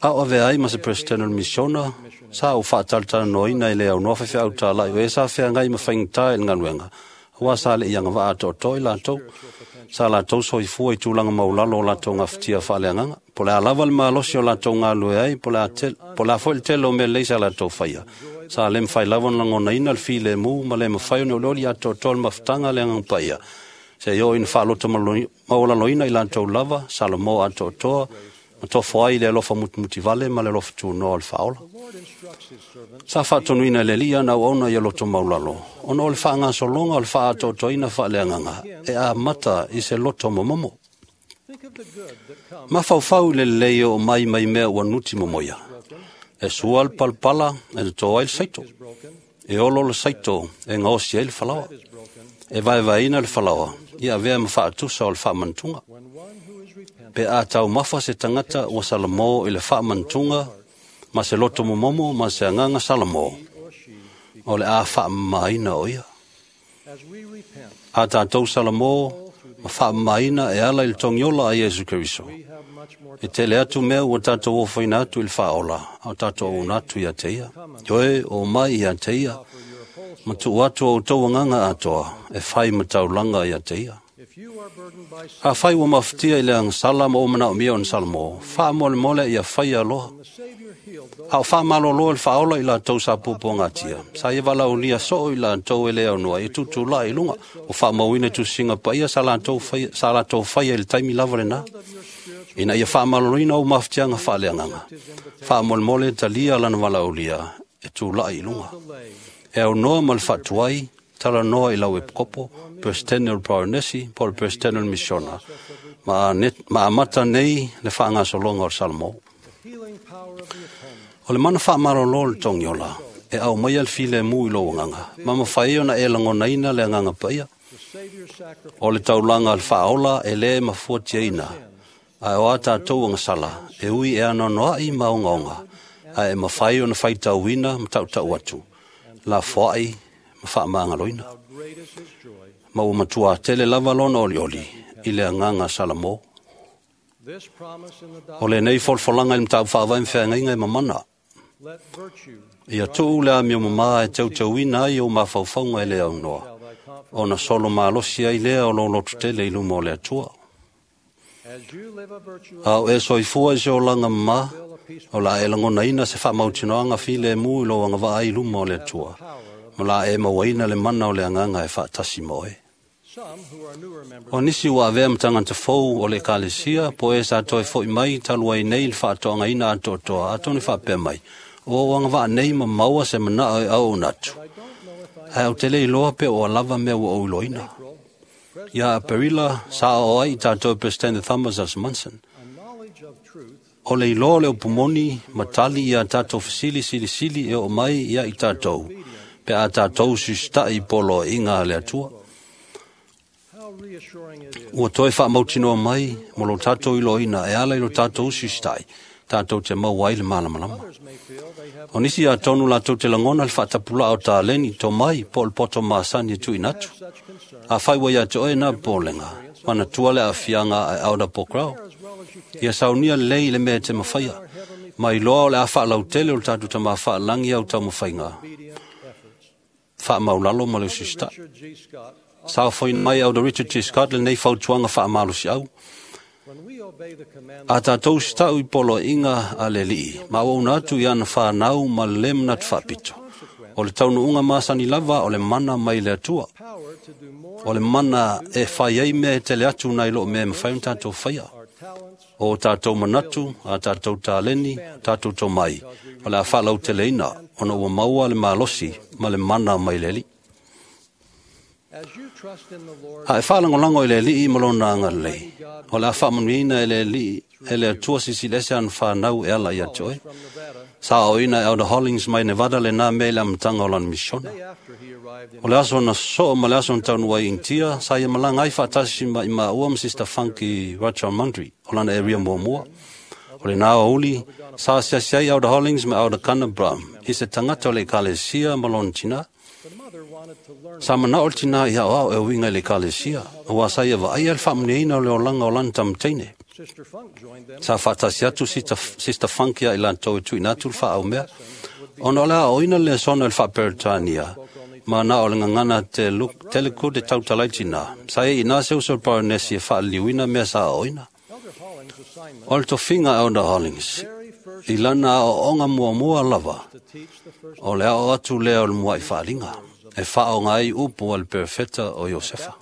A o avea ai ma se Peresetene o le misiona, sa ou faatalatalanoaina i le aunoa faifeau talaʻi o e sa feagai ma faigata i le galuega, auā sa leʻi agavaa atoatoa i latou, sa latou soifua i tulaga maulalo o latou gafatia faaleagaga. Po o le a lava le malosi o latou galulue ai, po o le a foi le tele o mea lelei sa latou faia, sa lē mafai lava ona lagonaina le filemu ma le mafai ona olioli atoatoa le mafutaga a le Agaga Paia, seia oo ina faaloto maualaloina i latou lava, Salamo atoatoa, ma tofo ai i le alofa mutumutivale ma le alofa tunoa o le Faaola. Sa faatonuina e le Alii ana auauna ia loto maulalo, ona o le faagasologa o le faaatoatoaina faaleagaga e amata i se loto momomo. Mafaufau i le lelei o mai mai mea ua nuti momoia. E sua le palapala e toto ai le saito. E olo le saito e gaosi ai le falaoa. E vaevaeina le falaoa ia avea ma faatusa o le faamanatuga. Pe a taumafa se tagata ua salamo i le faamanatuga ma se loto momomo ma se agaga salamo, o le a faamamaina o ia. A tatou salamo ma faamamaina e ala i le togiola a Iesu Keriso, e tele atu mea ua tatou ofoina atu i le faaola, a o tatou auauna atu ia te ia. Ioe, o mai ia te ia, ma tuu atu o outou agaga atoa e fai ma taulaga ia te ia. Afai ua mafatia i le agasala ma ua manaomia ona salamo, faamolemole ia faia loa. A o faamalolo e le faaola i latou sa puapuagatia, sa ia valaaulia soo i latou e le aunoa ia tutulai i luga, ua faamauina i tusiga paia sa latou faia, sa latou faia i le taimi lava lena, ina ia faamaloloina ou mafatiaga faaleagaga. Faamolemole talia lana valaaulia e tulai i luga. E aunoa ma le faatuai, talanoa i lau epikopo, Peresetene o le Poronesi, po o le Peresetene o le Misiona, ma, ma amata nei le faagasologa o le Salamo. O le mana faamalolo o le togiola, e aumaia le filemu i lou agaga, ma mafai ai ona e lagonaina le agaga paia. O le taulaga o le faaola e lē mafuatiaina, ae o a tatou agasala, e ui e anoanoaʻi ma ogaoga, ae e mafai ona faitauina ma tautau atu, lafoai ma faamagaloina. Ma ua matua tele lava lona olioli i le agaga Salamo. O lenei folafolaga i le mataupu faavae ma feagaiga e mamana. Ia tuu le amio mamā e teuteuina ai ou mafaufauga e le aunoa, ona solo malosi ai lea o lou lototele i luma o le Atua. A o e soifua i se olaga mamā, o la e lagonaina se faamautinoaga filemu i lou agavaa ai i luma o le Atua, ma la e mauaina le mana o le agaga e faatasi ma oe. O nisi ua avea ma tagata fou o le ekalesia, po e sa toe fo'i mai talu ai nei le faatoagaina atoatoa, atonu faapea mai, o ou agavaa nei ma maua se manao e auauna atu. Ae ou te le iloa pe ua lava mea ua ou iloaina. Ia Aperila, sa oo ai i tatou Peresetene Thomas S. Monson. O le iloa o le upu moni ma tali ia tatou fesili silisili e oo mai ia i tatou, pe a tatou susita'i i poloaiga a le Atua. Ua toe faamautinoa mai mo lo tatou iloaina e ala i lo tatou susita'i, tatou te maua ai le malamalama. O nisi atonu latou te lagona le faatapulaa o taleni, tomai, po o le poto masani e tuuina atu. Afai ua ia te oe na popolega, manatua le aafiaga a Elder Pokrao. Ia saunia lelei i le mea e te mafaia, ma iloa o le a faalautele o le tatou Tamā faalagi au taumafaiga, faamaulalo ma le usisita'i. Saofoina mai Elder Richard G. Scott lenei fautuaga faamalosiau. A tatou usita'u i poloaiga a le Alii, ma auauna atu i ana whanau ma le le manatu faapito. O le taunuuga masani lava o le mana mai le Atua. O le mana e fai ai mea e tele atu nai lo mea e mafai ona tatou faia. O tatou manatu, a tatou taleni, o tatou tomai, o le a faalauteleina ona ua maua le malosi ma le mana mai le Alii. A e faalagolago i le Alii ma lona agalelei, o le a faamanuiaina e le Alii e le Atua silisili ese ana whanau e ala ia te oe. Sa aoina e Elder Hollings mai Nevada le nā mea i le amataga o lana misiona. O le aso na soo ma le aso na taunuu ai i Initia, sa ia malaga ai faatasi ma i maua ma Sister Funk i Rajahmundry o lana area muamua. O le nā aoauli, sa asiasi ai Elder Hollings ma Elder Gunnar Brown i se tagata o le ekalesia ma lona tinā. Sa manao le tinā i aoao e uiga i le ekalesia, aua sa ia vaaia le faamanuiaina o le olaga o lana tamateine. Sa faatasi atu Sister Funk ia i latou e tuuina atu le faaaumea, ona o le aoaoina le lesona i le faaperetania, ma na o le gagana Telugu te tautala ai tinā. Sa ia inā se uso o le Baronesi e faaliliuina mea sa aoaoina. O le tofiga Elder Hollings, i lana aoaoga muamua lava, o le ao atu lea o le mua'i faaliga, e faaoga ai upu a le perofeta o Iosefa.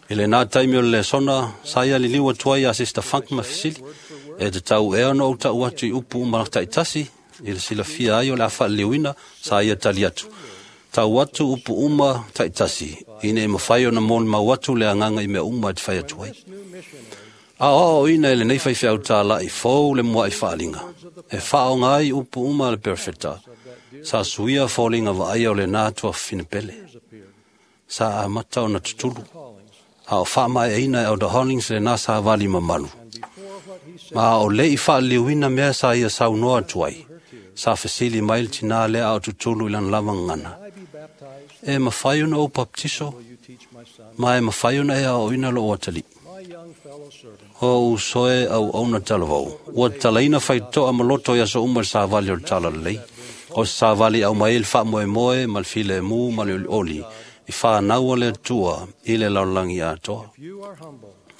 I lenā taimi o le lesona, sa ia liliu atu ai ia Sister Funk ma fesili, e tatau ea ona ou ta'u atu i upu uma ta'itasi, i le silafia ai o le a faaliliuina, sa ia tali atu. Tau atu upu uma ta'itasi, ina e mafai ona molimau atu le agaga i mea uma e te fai atu ai. A oaoaoina e lenei faifeau tāla'i fou le mua'i faaliga, e faaoga ai upu uma a le perofeta, sa suia foliga vaaia o lenā tuafafine pele. Sa amata ona tutulu, a o faamaeaina e Elder Hollings lenā savali mamalu. Ma o le'i faaliliuina mea sa ia saunoa atu ai, sa fesili mai le tinā lea a o tutulu i lana lava gagana. E mafai ona ou baptiso, ma e mafai ona e aoaoina lou atalii. O usoe auauna talavou, ua tatalaina faitotoa ma loto i aso uma le savali o le talalelei. O se savali e aumai ai le faamoemoe ma le filemu ma le olioli i whanau o le Atua i le lalolagi atoa.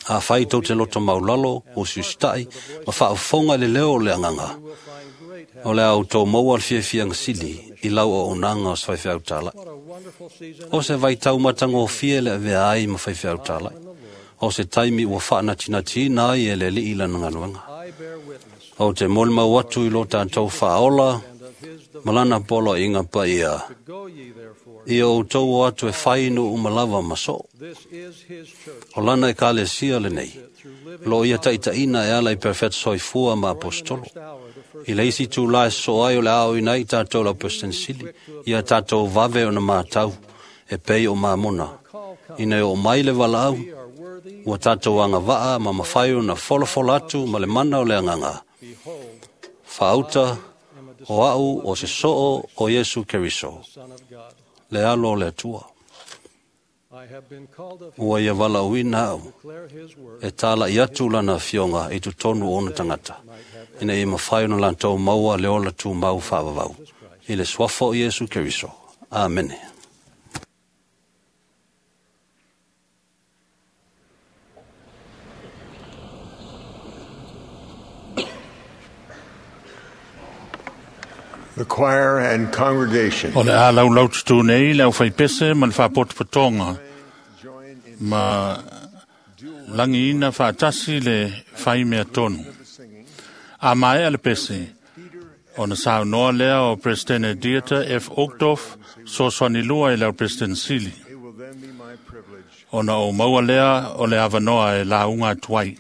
Afai tou te loto maulalo, o susita'i, ma faafofoga i le leo o le agaga, o le a outou maua le fiafiaga sili i lau auaunaga o se faifeau tāla'i. O se vaitau matagofie le avea ai ma faifeau tāla'i. O se taimi ua faanatinatiina ai e le Alii lana galuega. Ou te molimau atu i lo tatou faaola ma lana poloaiga paia. Ia outou o atu e fai nuu uma lava ma soo. O lana ekalesia lenei, lo ia taitaina e ala i perofeta soifua ma apostolo. I le isi itulā e sosoo ai o le a aoaoina ai i tatou le auperesetene sili, ia tatou vave ona matau e pei o mamona. Ina e oo mai le valaau, ua tatou agavaa ma mafai ona folafola atu ma le mana o le agaga. Faauta o a'u o se soo o Iesu Keriso, le alo o le Atua. Ua ia valaauina au e tala'i atu lana afioga i totonu o ona tagata, ina ia mafai ona latou maua le ola tumau faavavau. I le suafa o Iesu Keriso. Amene. The choir and congregation. O le a laulau tutu nei le au whaipese ma le whapotopotonga ma langiina whaatasi le whaimea tonu. A mae a le pese, ona saunoa lea o President Dieter F. Uchtdorf, sosoani lua i leo President Sili. Ona o maua lea o le avanoa e launga atuai.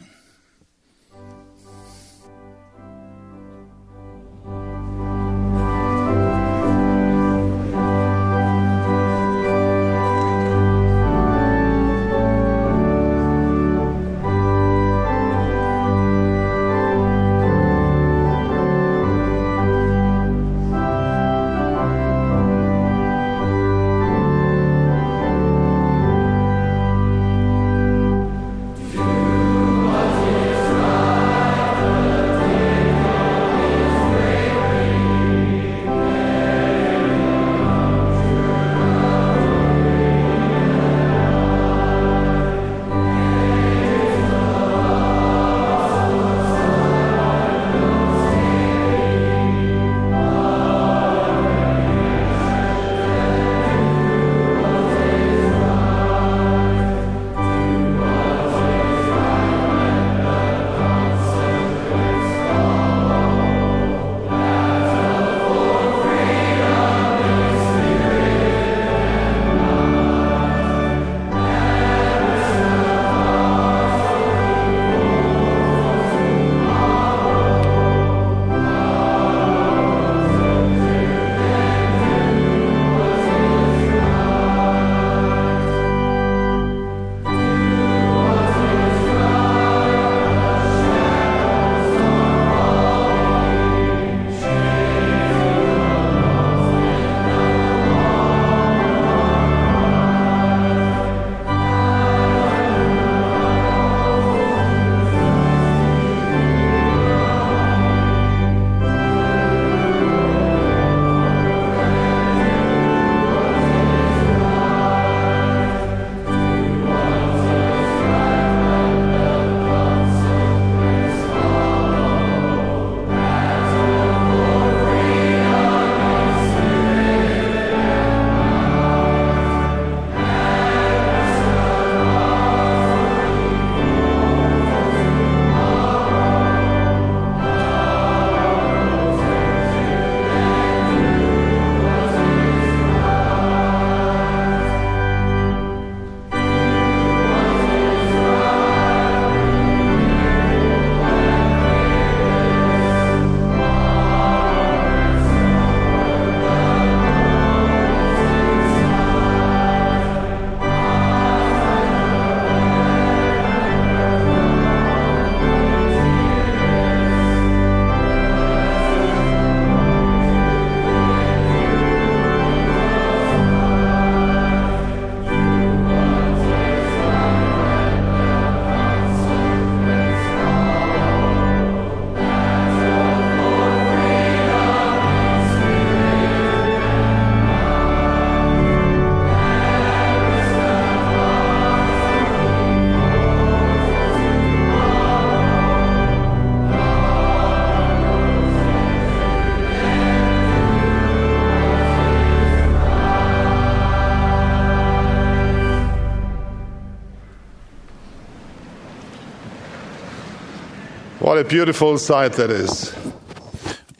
What a beautiful sight that is.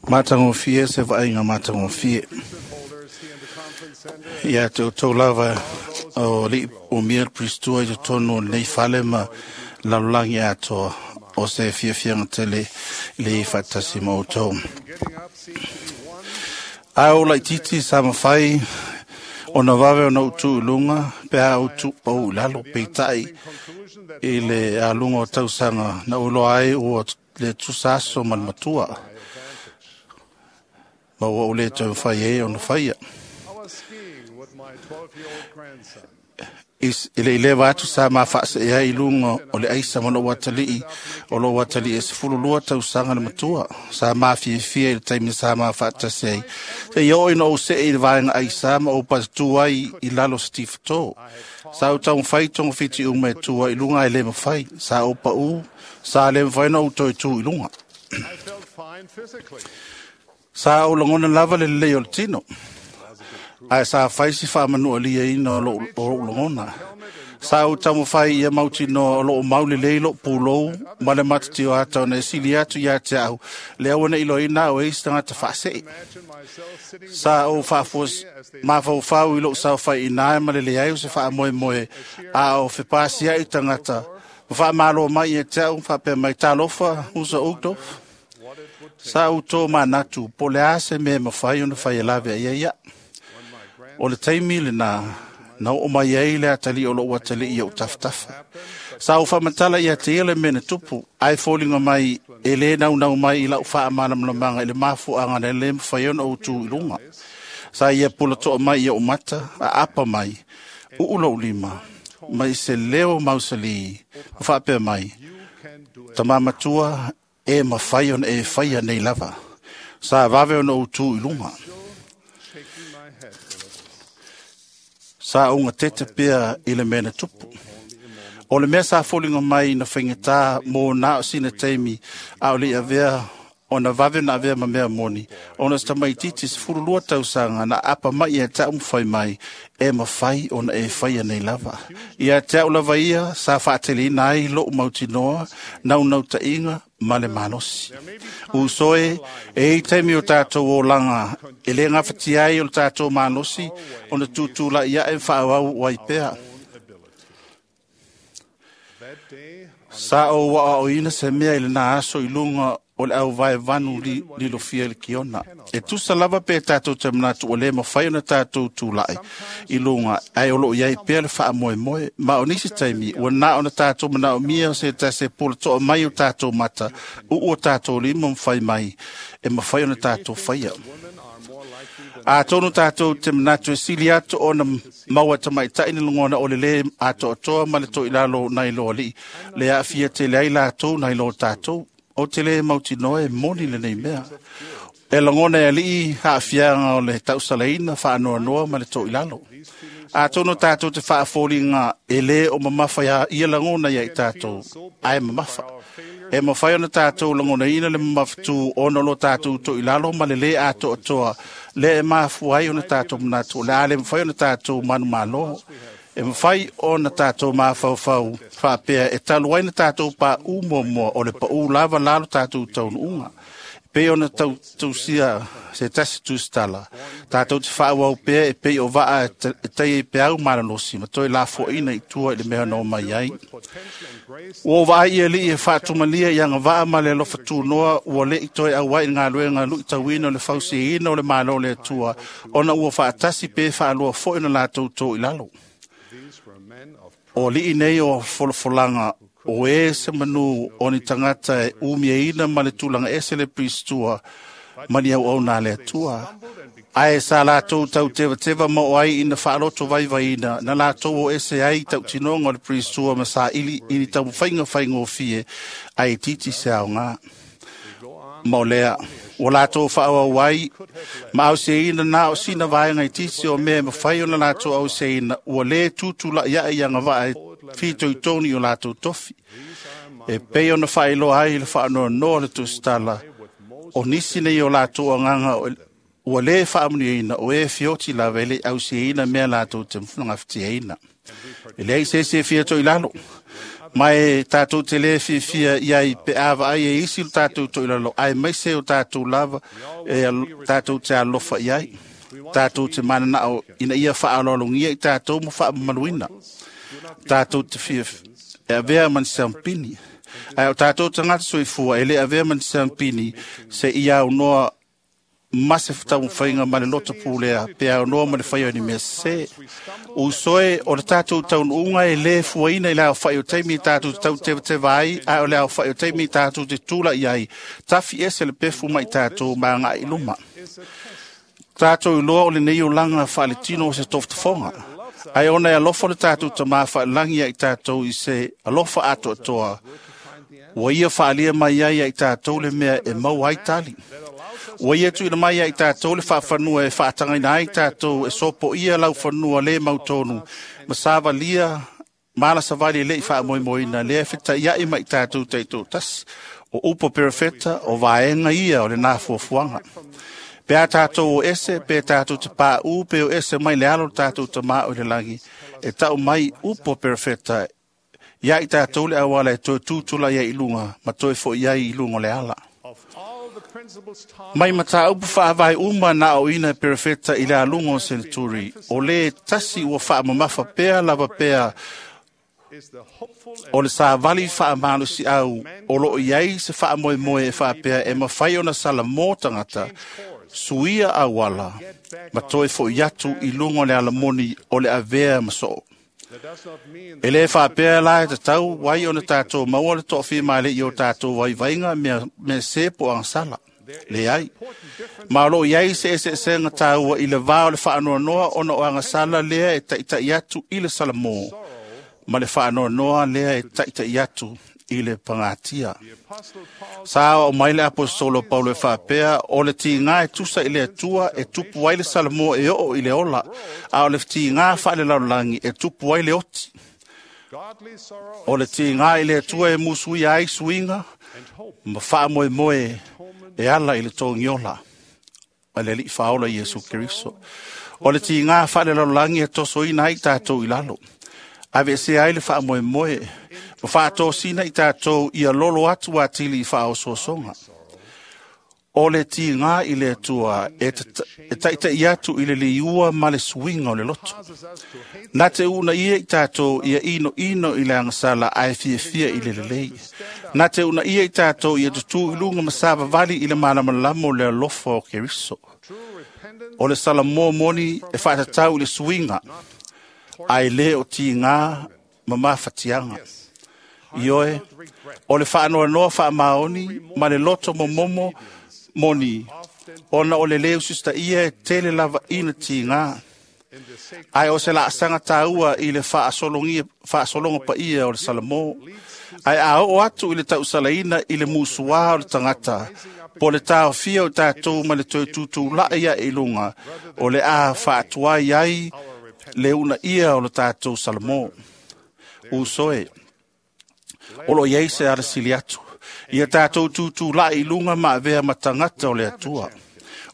Matagofie se vaaiga matagofie. Ia te outou lava o alii umia le Pristua i totonu o lenei fale ma lalolagi atoa o se fiafiaga tele le faatasi ma outou. Ae o laititi sa mafai ona vave ona utu i luga pe a utu pau i lalo peitai i le aluga o tausaga na uloa ai ua le tusa aso ma le matua ma ua ou le taumafai ai ona faia. I le ileva atu sa mafaasee ai i luga o le aisa ma lou atalii o lou atalii e sefululua tausaga le matua sa mafiafia i le taimi sa mafaatasi ai seia oo ina ou see i le vaega aisa ma ou patatu ai i lalo o se tifatō. Sa ou taumafai togafiti uma e tua i luga ae lē mafai. Sa ou paʻū, sa lē mafai ona ou toe tū i luga. Sa ou lagona lava le lelei o le tino, ae sa fai si faamanualiaina o lou, o lou lagona. Sa ou taumafai ia mautinoa o loo mau lelei lou pulou ma le matatio ata ona e sili atu ia te au le aua ne iloaina au e isi tagata faasee. Sa ou faafua mafaufau i lou saofaiina ma le leai o se faamoemoe a o fepasiaʻi tagata ma faamalo mai ia te au faapea mai, talofa usa Uchtdorf. Sa ou tō manatu po le a se mea e mafai ona fai e lave ai ai ia. O le taimi lena na oo mai ai le atalii o lou atalii ia ou tafatafa. Sa ou faamatala ia te ia le mea na tupu, ae foliga mai e lē naunau mai i lau faamalamalamaga i le mafuaaga na lē mafai ona ou tū i luga. Sa ia pulatoa mai ia ou mata, aapa mai, uu lou lima, mai se leo mausalī, ma faapea mai, tamā matua, e mafai ona e faia nei lava. Sa vave ona ou tū i luga. Sa ou gatete pea i le mea na tupu. O le mea sa foliga mai na faigata mo na o sina taimi a o le avea ona vave na avea ma mea moni, ona se tamaititi sefululua tausaga na apa mai ia te au ma fai mai, e mafai ona e faia nei lava. Ia te au lava ia sa faateleina ai lou mautinoa, naunautaiga ma le malosi. Uso e, e i taimi o tātou olaga, e le gafatia ai o le tātou malosi, ona tutulai ae faaauau ai pea. Sa ou aoaoina se mea i lena aso i luga o le auvaevanu li, lilofia i le kiona. E tusa lava pe tātou te manatu o lē mafai ona tātou tulai i luga, ae o loo iai pea le faamoemoe. Ma o nisi taimi, ua na ona tātou manaomia o se tasi e pulatoa mai o tātou mata, uu o tātou lima ma fai mai, e mafai ona tātou faia. Atonu tātou te manatu e sili atu ona maua tamaitai ni lagona o le lē atoatoa ma le toilalo nai lo alii, le aafia tele ai latou nai lo tātou. O te lē mautinoa e moni lenei mea. E lagona e alii aafiaga o le tausalaina faanoanoa ma le toilalo. Atonu tātou te faafoliga e lē o mamafa ia, ia lagona ia i tātou, ae mamafa. E mafai ona tātou lagonaina le mamafatū ona o lo tātou toilalo ma le lē atoatoa, le e mafua ai ona tātou manatu, o le a le mafai ona tātou manumalo. E mafai ona tātou mafaufau faapea e talu ai na tātou paʻū muamua o le paʻū lava lalo tātou taunuuga. Pei ona tausia se tasi tusitala, tātou te faaauau pea e pei o vaa e tai ai peau malalosi ma toe lafoaina i tua i le mea na omai ai. Ua ou vaai i alii e faatumalia i agavaa ma le alofa tunoa ua leʻi toe auai i le galuega luitauina o le fausiaina o le Malo o le Atua, ona ua faatasi pe faalua foi ona latou tō i lalo. O alii nei o folafolaga o e se manu o ni tagata e umiaina ma le tulaga ese le pristua ma ni auauna a le Atua. Ae sa latou tautevateva ma o ai ina faaloto vaivaiina na latou o ese ai tautinoga o le pristua ma saili i ni taumafaiga faigofie ae itiiti se aoga. Ma o lea, ua latou faaauau ai ma auseina na o sina vaega itiiti o mea e mafai ona latou auseina ua lē tutulaʻi aʻe i agavaa e fitoitonu i o latou tofi. E pei ona faailoa ai le faanoanoa o le tusitala, o nisi nei o latou agaga ua lē faamanuiaina o e fioti lava e le ausiaina mea latou te gafatiaina. E leai se isi e fia toilalo, ma e tātou te lē fiafia iai pe a vaai e isi lo tātou toilalo, ae maise o tātou lava e tātou te alofa iai. Tātou te mananao ina ia faaaloalogia i tātou ma faamamaluina. Tātou te fia e avea ma ni sampini. Ae o tātou tagata soifua e lē avea ma ni sampini se ia aunoa ma se taumafaiga ma le loto pulea pe aunoa ma le faia o ni mea sesē. Uso e, o le tātou taunuuga e lē fuaina i le aofaʻi o taimi i tātou te tautevateva ai, ae o le aofaʻi o taimi i tātou te tulaʻi ai, tafi ese le pefu ma i tātou ma agaʻi i luma. Tātou iloa o lenei olaga faaletino o se tofotofoga. Ai ona e alofa le tātou tamā whaelangi ai tātou i se alofa atoatoa. Ua ia whaalia mai ai ai tātou le mea e mau ai tali. Ua ia tuina mai ai tātou le whaafanua e whaatangaina ai tātou e sopo ia lau fanua le mautonu. Masawalia mala savali le i whaamoemoeina lea whita iai mai tātou teito tas. O upo perefeta o vaenga ia o le nā fuafuaga. Pe a tātou o ese, pe tātou te pā u, pe o ese mai le alo tātou te mā o le langi. E tau mai upo perefeta ia i tātou le awala e toe tūtula ia i lunga, ma toe fo ia i lunga le ala. Mai mata upu whaavai uma na o ina perefeta i le alunga o Senaturi, o le tasi ua whaamamafa pea lava pea o le sāvali whaamalusi au, o loo iai se whaamoemoe e whaapea e mawhai ona sala mō tangata, suia awala, ma toe fo iatu i lunga o le alamoni o le avea masoo. E le whaapea la e tatau wai ona tātou maua le to'awhi maile i o tātou wai vainga mea, mea se po angsala. Le ai. Ma o loo iai se ese ese nga tāua i le vā o le whaanoanoa ona o angasala lea e taitai atu i le salamō. Ma le whaanoanoa lea e taitai atu i le pangatia. Sa o mai le apostolo Paulo e whaapea o le tīngā e tusa i le atua e tupu ai le salamō e oo i le ola, a o le tīngā whaale lalolagi e tupu ai le oti. O le tīngā i le atua e musui ai suinga, ma whaamoemoe e ala i le tōngiola, a le alii whaola Iesu Keriso. O le tīngā whaale lalolagi e tosoina ai tātou i lalo. Ave se ai le whaamoemoe, ma whaatōsina i tātou ia lolo atu a tili i whaososonga. O le tīngā i le atua e, e taitai atu i le liua ma le suinga o le loto. Nā te una ia i tātou ia ino ino i le angasala ae fiafia i le lelei. Nā te una ia i tātou ia tutu i lunga masavavali i le malamalama o le alofa o Keriso. O le salamō moni e whaatatau i le suinga, ai le o tīngā ma mawhatianga. Ioe, o le whaanoanoa whaamaoni ma le loto momomo moni, ona o le leo sista ia e tele lava ina tīngā. Ai o se laasanga tāua i le whaasolonga pa ia o le salamō. Ai a o atu i le tausalaina i le musuā o le tangata, po le tāofia o tātou ma le toe tūtū lai ia i lunga, o le a whaatuai ai le una ia o le tātou salamō. Usoe, o lo iei se ara sili atu. Ia tātou tūtū lai i lunga ma avea matangata o le atua.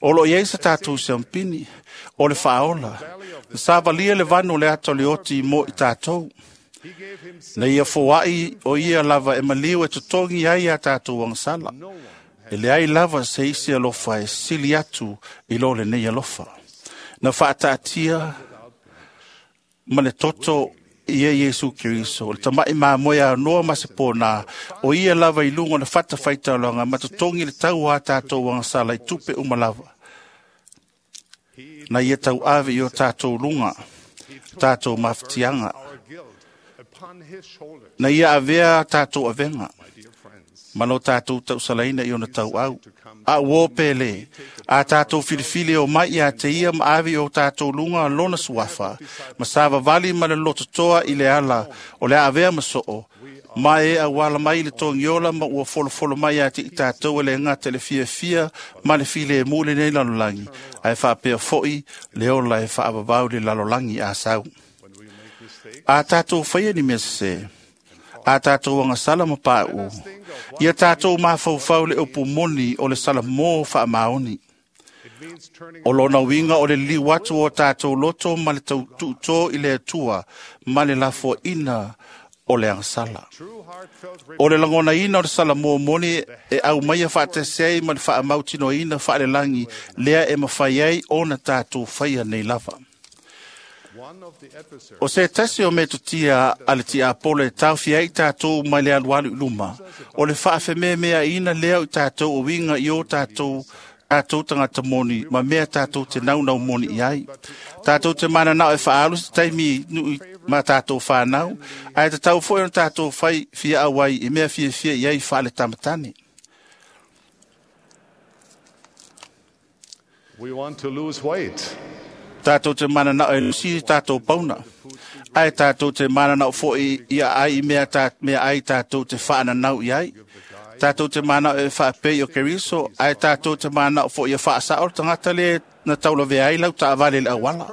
O lo iei se tātou seampini, o le whaola. Na sāvalia le vanu le ata o le oti mo i tātou. Na ia foai o ia lava e maliu e totongi ai a tātou angsala. E le ai lava se isi alofa e sili atu i lo le nei alofa. Na whaataatia ma le toto ia Iesu Keriso, le tamai māmoe noa ma se pōnā, o ia lava i lunga na whata whaitaloanga, ma totongi le tau a tātou angasala i tupe uma lava. Na ia tau ave i o tātou lunga, tātou mawhitianga. Na ia avea tātou avenga, ma lo tātou tausalaina i ona tau au. A uo pele, a tātou filifili o mai ia te ia ma ave o tātou lunga lona suafa, ma sāvavali ma le lototoa i le ala o le avea masoo, ma e awala mai le tongiola ma ua folofolo mai a te i tātou e le ngata le fia fia ma le file e mule nei lalolangi, a e whaapea foi le ola e whaavavau le lalolangi a sau. A tātou whaia ni mea se, a tātou angasala ma pāu, ia tātou mafaufau le upu moni o le salamō whaamaoni. O lona winga o le liu atu o tātou loto ma le tau tuutō i le atua ma le lafoaina o le agasala. O le langona ina o le salamō moni e au maia whaatese ai ma le whaamautino ina whaalelangi lea e mawhai ai ona tātou whaia nei lava. O se tasi o metotia a le tiapolo e taufi ai tātou mai le alualu i luma. O le whaafememea ina lea o tātou o winga i o tātou tātou tangata moni, ma mea tātou te naunau moni i ai. Tātou te mana nao e whaalu se taimi nui ma tātou whānau, ai te tau foi o tātou whai fia awai i mea fia fia i ai whaale tamatane. We want to lose weight. Tātou te mananao e lusi tātou pauna. Ai tātou te mananao foi ia ai i mea, tā, mea ai tātou te whaananau i ai. Tātou te manao e whaapei o Keriso, ai tātou te manao foi ia whaasao tangata le na taula vea ai lau taavale le awala.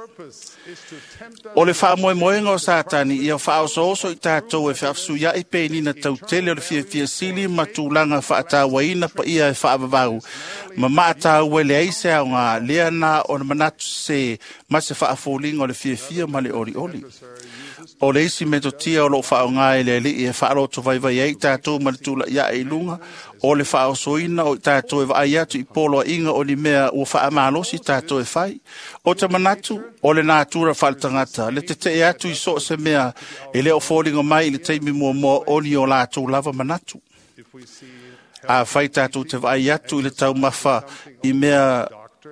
O le whaamoemoenga o Satani ia whaoso i tātou e whaafsuiai pe nina tautele o le fiafia sili ma tūlanga whaatawaina pa ia e whaavavau. Ma maatau le aise au ngā lea nā o na manatu se ma se whaafolinga o le fiafia ma le oli oli. O le isi metotia o loo whaonga e le alii e whaaloto vaivai ai tātou ma le tula ia e lunga o le whaosoina o tātou e vaai atu i polo a inga o ni mea ua whaamalosi tātou e whai. O te manatu o le nātura whaletangata le te te e atu i so se mea e leo fōlinga mai i le teimi mua mua o ni o lātou lava manatu. A whai tātou te vaai atu i le taumafa i mea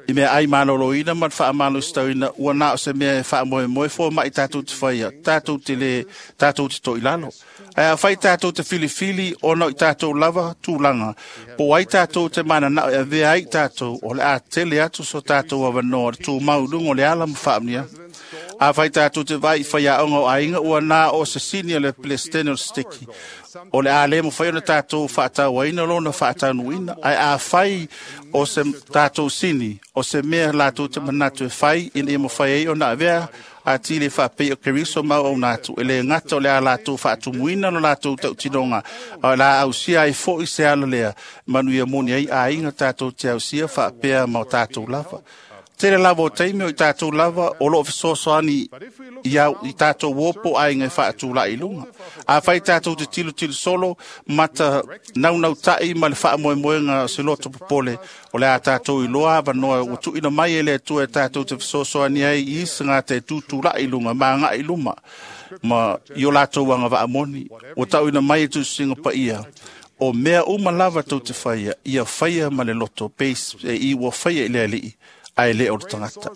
i mea ai maloloina ma le faamalositauina ua na o se mea e faamoemoe fua mai tātou te whaia, tātou te le, tātou te toilalo. Ai a whai tātou te filifili ona i tātou lava tūlanga. Po ai tātou te mananao e avea ai tātou o le a tele atu so tātou awanoa le tū maulungo le ala ma faamnia. A whai tātou te vai whai aonga o ainga ua nā o se sini o le Palestine o le stiki. O le a le mo whai o le tātou whaatauaina lona whaataunuina. Ai a whai o se tātou sini o se mea lātou te manatu e whai ina ia mo whai ai o nā avea a tile whaapei o Keriso mau au nātu. E le ngata o le a lātou whaatumuina lo lātou tautinonga. O la ausia ai fo i se ala lea. Manu ia moni ai a inga tātou te ausia whaapea mau tātou lava. Tele lava o teime o i tātou lava o loo fesoasoani i, au, i tātou wopo ai ngai whaatū la i lunga. A whai tātou te tilo tilo solo, mata naunau tai ma le whaamoemoenga o se loto popole o le a tātou i loa awanoa o tuina mai e le atua e tātou te fesoasoani ai i isa ngā te tūtū la i lunga, ma ngā i luma. Ma i o lātou anga vaamoni, o tauina mai e tūsinga pa ia. O mea uma lava tau te whaia, ia whaia ma le loto, peis, e i ua whaia i le alii. Ai le o le tangata.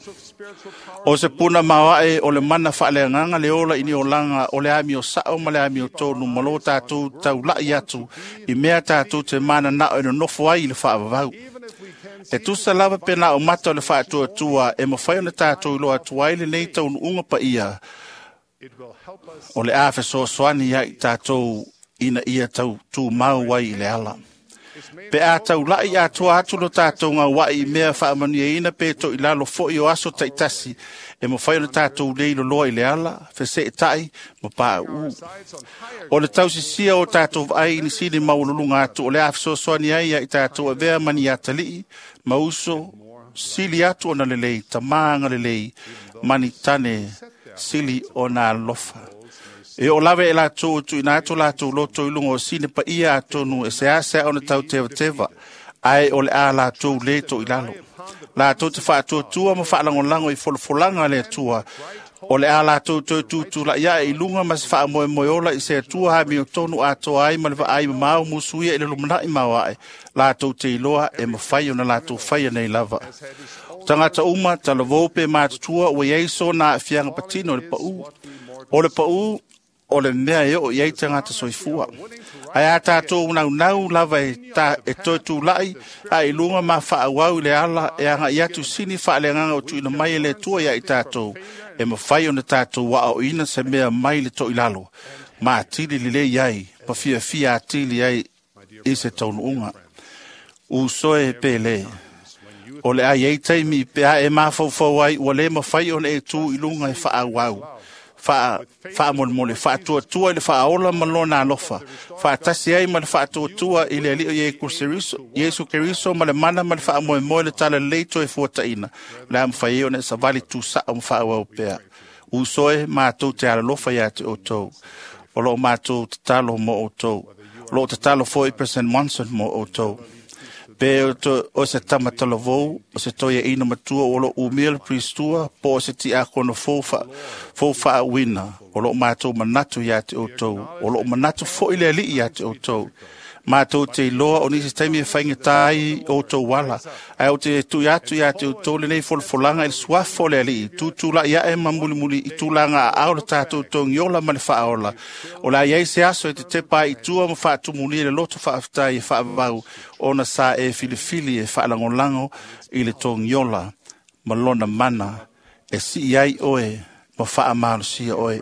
O se puna mawae o le mana whaaleanganga le ola ini o langa o le ami o sao ma le ami o tōnu ma lo tātou taulai atu i mea tātou te mana nao e nonofo ai i le whaavavau. E tusa lava pena o mata o le whaatuatua e mawhai o le tātou i loa atu ai le nei taunuunga pa ia. O le a fesoasoani ia i tātou ina ia tau tū mau ai i le ala. Pe a taulai atoa atu lo tātou ngā wai i mea whaamania ina pe to i lalo foi o aso taitasi e mawhai o le tātou leilo loa i le ala, whese e tai, ma pā u. O le tausisia o tātou vai i nisini maululunga atu o le awhisosoani ai i tātou avea mani atalii, mauso, sili atu o na lelei, tamānga lelei, mani tane, sili o nā lofa. E o lawe e lātou tu ina atu lātou loto i lunga o sine pa ia atonu e se asa o na tau tewa tewa, ai o le a lātou le to i lalo. Lātou te whaatuatua ma whaalangolango i folofolanga le atua, o le a lātou toi tūtū la ia i lunga ma se whaamoemoeola i se atua ha mi o tonu atoa ai ma le vaai mamau musuia i le lumanai mawae, lātou te iloa e mawhai o na lātou whaia nei lava. Tangata uma, talavou pe mātutua ua iei so nā whianga patino le pau. O le pau, o le mea e o iei tangata soifua. Ai a tātou nau nau lava e, ta, e toi tūlai, a i lunga ma whaawau i le ala, e anga i atu sini whaalenganga o tuina mai e le tua ia i tātou, e mawhai o na tātou wa o ina se mea mai le to i lalo. Ma atili lile iai, pa fia fia atili ai i se taunuunga. U soe pele. O le ai ei taimi pe a e mawhauwhau ai, ua le mawhai o na e tū i lunga e whaawau. Wha, whaamolemole, whaatuatua i le whaaola ma lona alofa. Whaatasi ai ma le whaatuatua i le alio Yesu Keriso ma le mana ma le whaamoemoe le tala leito e fuataina. Le a mwhai e o na savali tū sao ma whaawau pea. Usoe mātou te alalofa ia te o tau. O loo mātou te talo mo o tau. O loo te talo foi President Monson mo o tau. Pe o, to, o se tamatalavou, o se toia ina matua o lo umia le pristua, po o se ti akono fō wha wina, o lo mātou manatu ia te o tau, o lo manatu fo i le alii ia te o tau. Mātou te iloa o nisi taimi e whainga tāi o tau wala. Ai o te tui atu ia te o tau le nei folafolanga i le suafo le alii. Tūtūla ia e mamulimuli i tūlanga a ao le tātou tongiola ma le whaola. O la iei se aso e te tepa i tua ma whaatumuli le loto whaaftai e whaavau ona sa e filifili e whaalangolango i le tongiola ma lona mana E si ai oe, ma whaamalosia oe.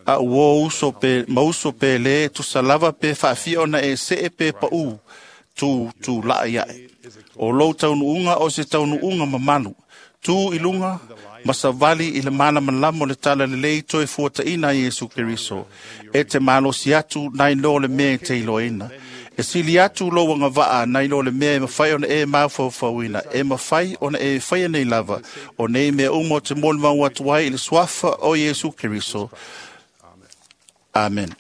A uo uso pe, mauso pe le, tusa lava pe whaafia ona e se e pe pa u, tu, tu laa iae. O lou taunuunga o se taunuunga mamalu, tu ilunga, masavali i le mana malamo le tala lelei toe fuataina Iesu Keriso. E te malosi atu nai lo le mea e te iloaina. E sili atu lo wanga vaa nai lo le mea e mawhai ona e mafaufauina. E mawhai ona e whaia nei lava. O nei mea umo te moli mau atu ai i le suafa o Iesu Keriso. Amen.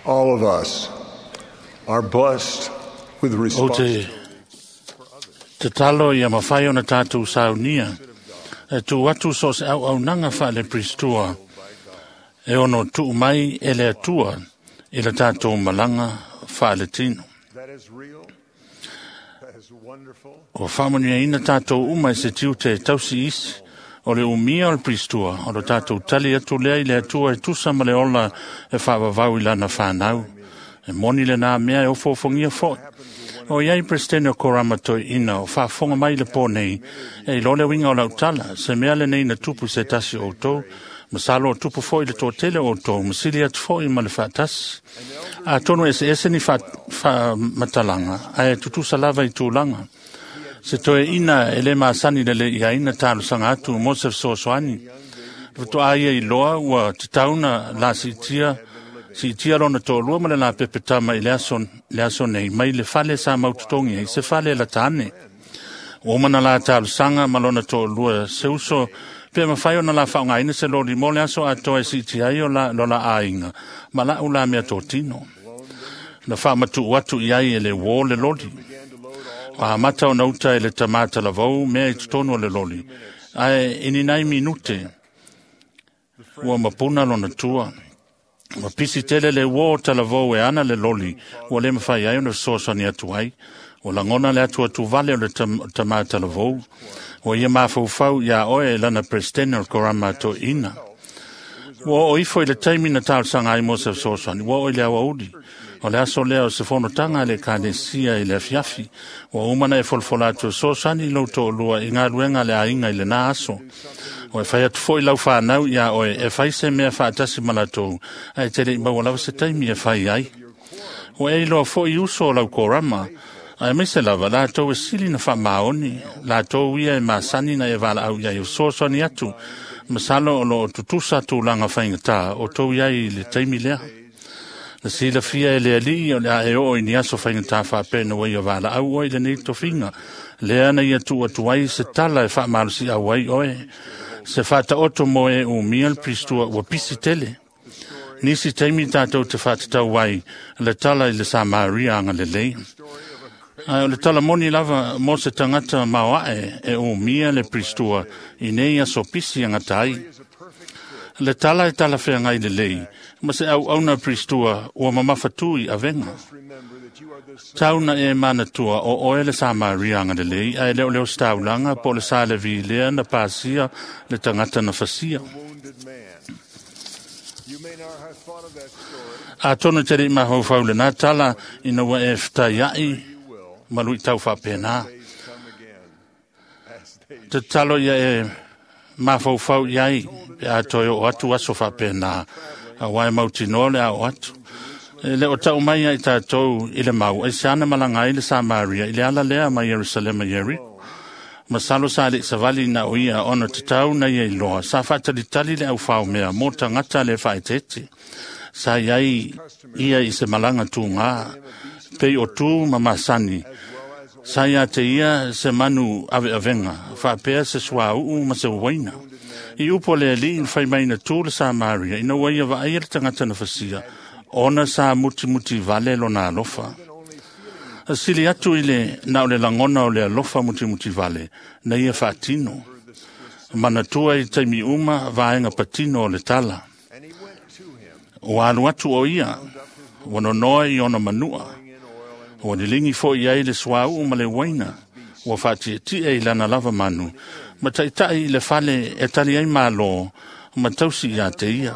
All of us are blessed with O te responsibility. tatalo ia mawhai ona tātou saunia. E tū atu so se au au nanga wha le pristua. E ono tuu mai e le atua i le tātou malanga wha le tino. That is real. That is wonderful. O whaamania ina tātou uma i se tiu te tausi isi o le umia o le pristua o le tātou tali atu lea i le atua e tusa ma le ola e whaavavau i lana whanau. E moni le nā mea e ofofongia foi. O iai presidente o Korama toi ina o whaafonga mai le pō nei e i lole winga o lautala se mea le nei na tupu se tasi o tau masalo o tupu foi le tōtele o tau masili atu foi ma le whaatasi. A tono ese ese ni wha, wha matalanga a e tutusa lava i tūlanga. Se toe ina e le masani le le ia ina tālu sanga atu mo se sosoani. Wato aia i loa ua te tauna la sitia si tia lona tōlua ma le la pepetama i le aso, le aso nei mai le fale sa maututongi ai se fale la tāne. O mana la tālu sanga ma lona tōlua se uso pe mawhai ona la whaongaina se lori mo le aso atoa e si tia ai o la, lola āinga ma la ula mea tōtino. Na whaamatu atu i ai e le wō le lori. Wa mata o nauta e le tamata lavau mea i totonu o le loli. Ae ini nai minute ua mapuna lona tua. Wa pisi tele le wō talavou e ana le loli ua le mawhai ai ona sosani atu ai. O langona le atu atu vale o le tam, tamata lavou. O ia mafaufau ia oe e lana presidente o korama to ina. Ua o ifo i le taimi na tau sanga ai mo se sosani. Ua o i le awauli. O le aso lea o se fonotanga le kanesia i le afiafi. Ua umana e folfola atu sosani i lau to'olua i ngā luenga le ainga i le nā aso. O e whai atu foi lau whanau ia oe e whai se mea whaatasi malatou ai te lei maua lava se taimi e whai ai. O e iloa foi uso o lau korama. Ai me se lava lātou e sili na whaamaoni, lātou ia e masani na e wala au ia i o sosani atu. Masalo o lo tutusa tūlanga whaingatā o tau iai i le taimi lea. Na sila fia e le ali o le a e o i ni aso whaingatā whaapena wai o wala au oi le nei tofinga. Lea na ia tu atu ai se tala e whaamalosi au ai oe. Se whaata oto mo e o mia le pristua ua pisi tele. Nisi taimi tātou te whaatatau ai le tala i le Samaria anga le lei. Ai o le tala moni lava mo se tangata maoae e o mia le pristua i nei aso pisi anga tai. Le tala e tala whengai le lei, ma se au auna pristua ua mamafatui a venga. Tauna e manatua o oe le Samaria anga le lei, ai leo leo staulanga po le sa le vilea na pasia le tangata na fasia. Wounded man. You may not have thought of that story. A tono te rei mahau faule nā tala ina ua e whitai ai, malu i tau whapena. Days come again. As they Te talo ia e mafaufau i ai, pe a toe o atu aso whapena, a wai mautinoa le ao atu. E le o tau mai ai tātou i le mau, ai se ana malanga ai le Samaria, i le ala lea mai Yerusalema Yeriko. Masalo sa le savali na o ia ona te tau na ia i loa. Sa whaatalitali le au whao mea, mō tangata le whaetete. Sa iai ia i se malanga tūngā, pei o tū ma masani. Sa ia te ia se manu ave avenga, whaapea se sua uu ma se waina. I upo le ali in whai mai na tū le Samaria, ina ua ia vaai le tangata na fasia, ona sa muti muti vale lona alofa. Sili atu i le na o le langona o le alofa muti muti vale, na ia whaatino. Manatua i taimi uma vaenga patino o le tala. And he went to him, O alu atu o ia, wanonoa i ona manua. O nilingi fo i ai le suau ma le waina, ua whaatiatia i lana lava manu, ma taitai i le fale e tali ai malo, ma tausi ia te ia.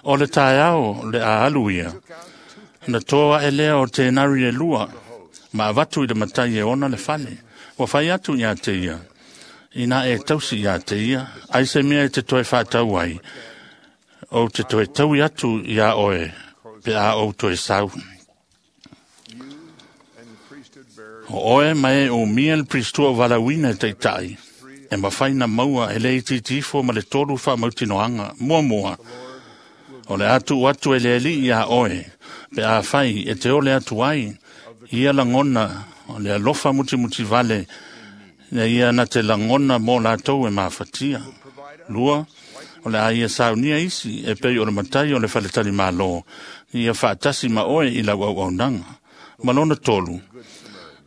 O le taeao le a alu ia, na toa ae lea o tenari e lua, ma avatu i le matai e ona le fale. Ua fai atu ia te ia, ina e tausi ia te ia, ai se mea e te toe whātau ai, o te toe taui atu ia oe, pe a ou toe sau. O oe mai o mia le pristua o valauina e taitai, e mawhai na maua e lei titifo ma le tolu whaamautinoanga, mua mua. O le atu atu e le ali ia oe, pe a whai e te ole atu ai, ia langona o le alofa muti muti vale, ia ia na te langona mō lātou e mafatia. Lua, o le a ia saunia isi e pei o le matai o le faletali malo, ia whaatasi ma oe i lau au aunanga. Malona tolu,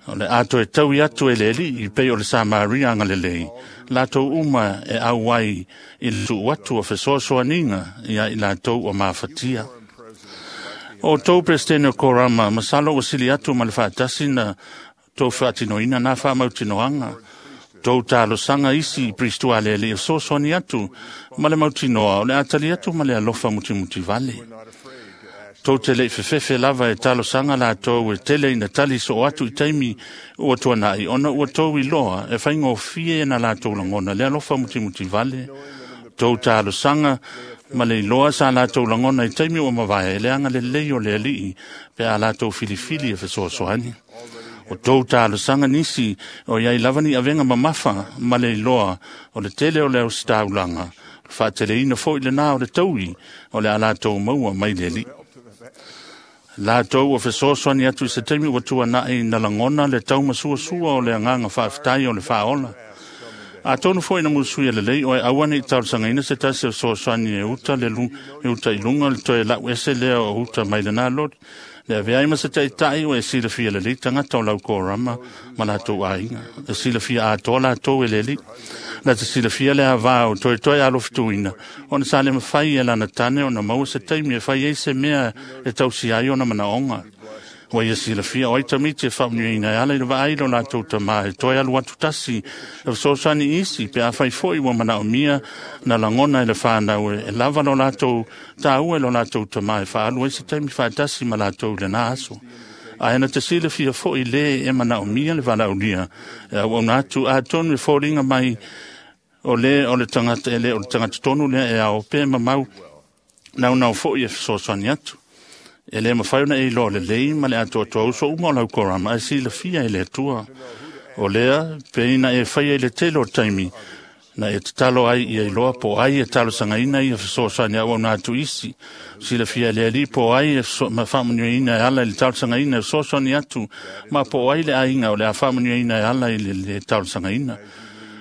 o le ato e taui atu e le ali i pei o le Samaria ngalelei, lātou uma e au ai i le tuu atu o fesoasoaninga ia i lātou o mafatia. O tau Presidente o Korama, masalo ua sili atu ma le whaatasi na tau whaatinoina nā whaamautinoanga. Tau talosanga isi pristua le le fesoasoani atu ma le mautinoa o le atali atu ma le alofa mutimuti vale. Tau te lei fefefe lava e talosanga lātou e tele ina tali so atu i taimi ua tuanai ona ua tau i loa e whaingofie na lātou langona le alofa mutimuti vale. Tau talosanga ma le iloa sa lātou langona i taimi ua mavae e leanga le lei o le alii pe a lātou filifili e fesoasoani. O tau talosanga nisi o iai lava ni avenga mamafa ma le iloa o le tele o le ausitaulanga whaateleina foi le nā o le taui o le a lātou maua mai le alii. Lātou o fesoasoani atu i se taimi ua tuanai na langona le taumasuasua o le anganga whaaftai o le whaola. A tonu foi na musui e lelei o e awane i talosangaina se tasi o fesoasoani e uta le lu, e uta i lunga le toe lau ese lea o uta mai le nā lori. Le avea ai ma se taitai o e silafia lelei tangata o lau korama ma lātou aiga. E silafia atoa lātou e lelei. La te silafia le avā o toe toe alofituina. Ona sa le mawhai e lana tane o na maua se taimi e whai e se mea e tausi ai o na manaonga. Ua ia silafia o ai tamiti e whaunui e ala i le vaai lo lātou tamā e toe alu atu tasi e fesoasoani isi pe a whai foi ua manaomia na langona e le whānau e lava lo lātou tāua e lo lātou tamā e whaalu ai se taimi whaatasi ma lātou le nā aso. A ena te silafia foi le e manaomia le valaulia e au au atu a tonu e fōringa mai o le o le tangata e le o le tangata tonu lea e ao pe mamau nau nau foi e fesoasoani atu. E le mawhai ona e iloa le lei ma le atoa uso uma o lau korama e silafia e le atua. O lea, pe ina e whaia i le tele o taimi, na e tatalo ai ia iloa po ai e talosangaina ia fesoasoani au au atu isi. Silafia e le ali po ai e whaamanuiaina e ala i le talosangaina e fesoasoani atu, ma po ai le aiga o le a whaamanuiaina e ala i le, le talosangaina.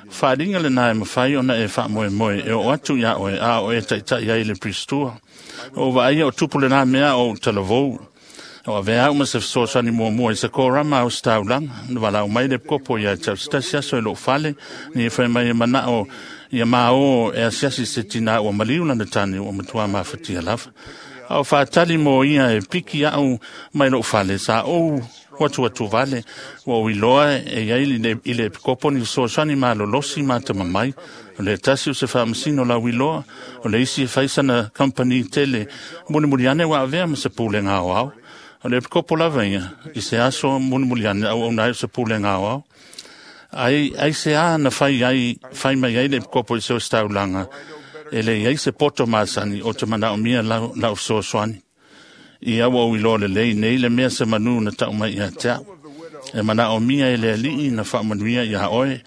Whaaringa le nā e mawhai ona e whaamoemoe e o atu ia oe a o e taitai ai le pristua. O vaai o tupu le nā mea o talavou. O avea au ma se fesoasoani muamua i se korama au sitaulanga. Na walau mai le kopo ia te au sitasi aso e loo fale. Ni e whai mai e manao ia mao e asiasi se tina ua maliu lana tane ua matua mafatia lava. Au whaatali mo ia e piki au mai loo fale sa ou watu atu vale ua uiloa e ia i le epikopo ni fesoasoani malolosi ma te mamai. O le tasi o se whaamasino la uiloa o le isi e whaisana company tele mulimuli ane wa avea ma se pule ngā o au. O le epikopo lava ia i se aso mulimuli ane au au nai o se pule ngā o au. Ai, ai se a na whai, ai, whai mai ai le epikopo i se o staulanga e le iai se poto masani o te manaomia lau, lau fesoasoani. I aua o iloa le lei nei le mea se manu na tau mai ia te au. E manaomia e le alii na whaamanuia ia oe,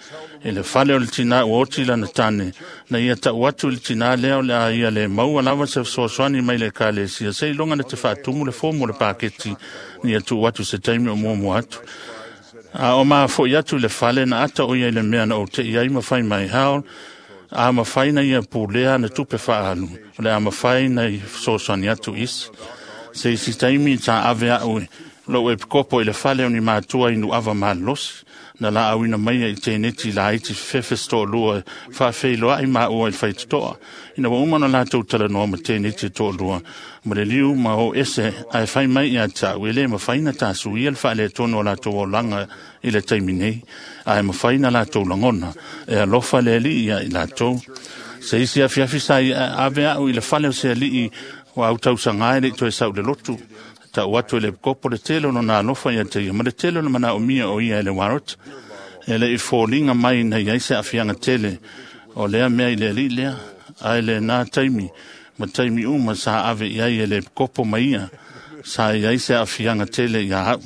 e le fale o le tina ua oti lana tane, na ia tau atu i le tina lea o le a ia le maua lava se fesoasoani mai le ekalesia, se iloga na te faatumu le fomu o le paketi, ni ia tuu atu se taimi o muamua atu. A o mafo'i atu i le fale na ata o ia i le mea na ou te'i ai ma fai mai hao, a mawhai na ia pulea na tupe whaalu, o le a mawhai na i fesoasoani atu isi. Se isi taimi ta ave au lou e pikopo i le fale o ni mātua i nuava malolosi, na la auina mai i tēneti la iti fefefe to'alua faafeiloa'i maua i le faitotoa. Ina ua uma ona latou talanoa ma tēneti e to'alua, ma le liu ma o ese ae fai mai ia ta'u e lē mafaina tasuia le faaletonu o latou olaga i le taimi nei, ae mafaina latou lagona e alofa le alii ia i latou. Se isi afiafi sa ave a'u i le fale o se ali'i ua autausaga e le'i toe sa'u le lotu. Ta'u atu e le kopo le tele o lona alofa ia te ia ma le tele o le mana'omia o ia e le Warot. E le'i foliga mai na iai se a'afiaga tele o lea mea i le ali'i lea, ae lenā taimi ma taimi uma sa ave i ai e le kopo ma ia sa iai se a'afiaga tele iā a'u.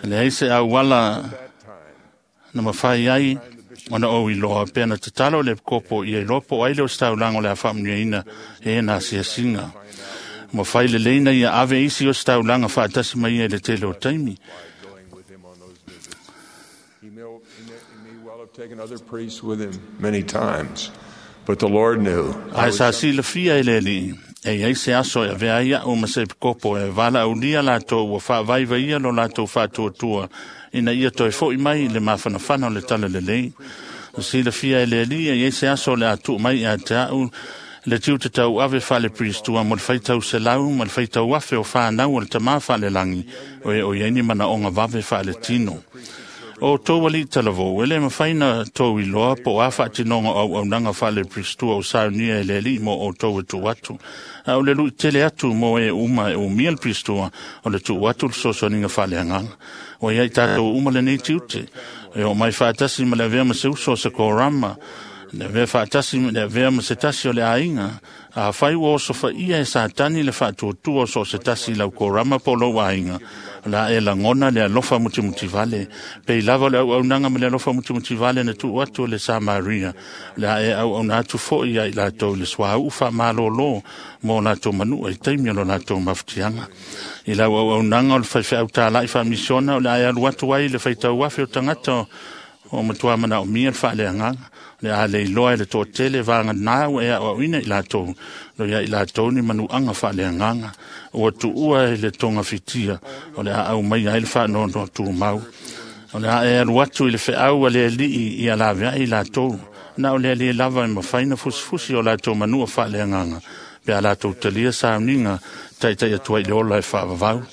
Leai se auala na mafai ai ona ou iloa pea na tatalo le kopo ia iloa po o ai le ositaulaga o le a faamanuiaina e na asiasiga. Mafai lelei na ia ave isi ositaulaga faatasi mai ia i le tele o taimi. He may, he may, he may well have taken other priests with him many times, but the Lord knew. Ae sa silafia e le Alii, e iai se aso e avea ai a'u ma se epikopo e valaaulia latou ua faavaivaia lo latou faatuatua ina ia toe fo'i mai i le mafanafana o le talalelei. Na silafia e le Alii e iai se aso o le a tuu mai ia te a'u le tiute tauave faale-Piristua mo le faitau selau ma le faitau afe o fanau o le tamā faalelagi o e o iai ni manaoga vave faaletino. O tou ali'i talavou, e lē mafai na tou iloa po o a faatinoga o auaunaga faale-Piristua o saunia e le Alii mo outou e tuu atu. A o le lu'i tele atu mo e uma e umia le Piristua o le tuu atu le fesoasoaniga faaleagaga. Ua iai tatou uma lenei tiute, e oo mai faatasi ma le avea ma se uso o se korama, le avea faatasi le avea ma se tasi o le aiga. Afai ua osofaia e Satani le faatuatua o so o se tasi i lau korama po o lou aiga, o le a e lagona le alofa mutimutivale. Pei lava o le auaunaga ma le alofa mutimutivale na tuu atu e le Samaria, o le a e auauna atu fo'i ia i latou i le suauu faamalōlō mo latou manu'a i taimi o lo latou mafutiaga. I lau auaunaga o le faifeau tāla'i faamisiona, o le a e alu atu ai le faitau afe o tagata o matuā manaomia le faaleagaga. Le a leiloa e le toatele vaganā ua e aʻoaʻoina i latou, lo ia i latou ni manuaga faaleagaga. Ua tuua e le togafitia, o le a aumaia ai le faanoanoa tumau. O le a e alu atu i le feau a le Alii ia laveai i latou. Na o le Alii lava e mafai na fusifusi o latou manua faaleagaga, pe a latou talia sauniga taita'i atu ai i le ola e faavavau.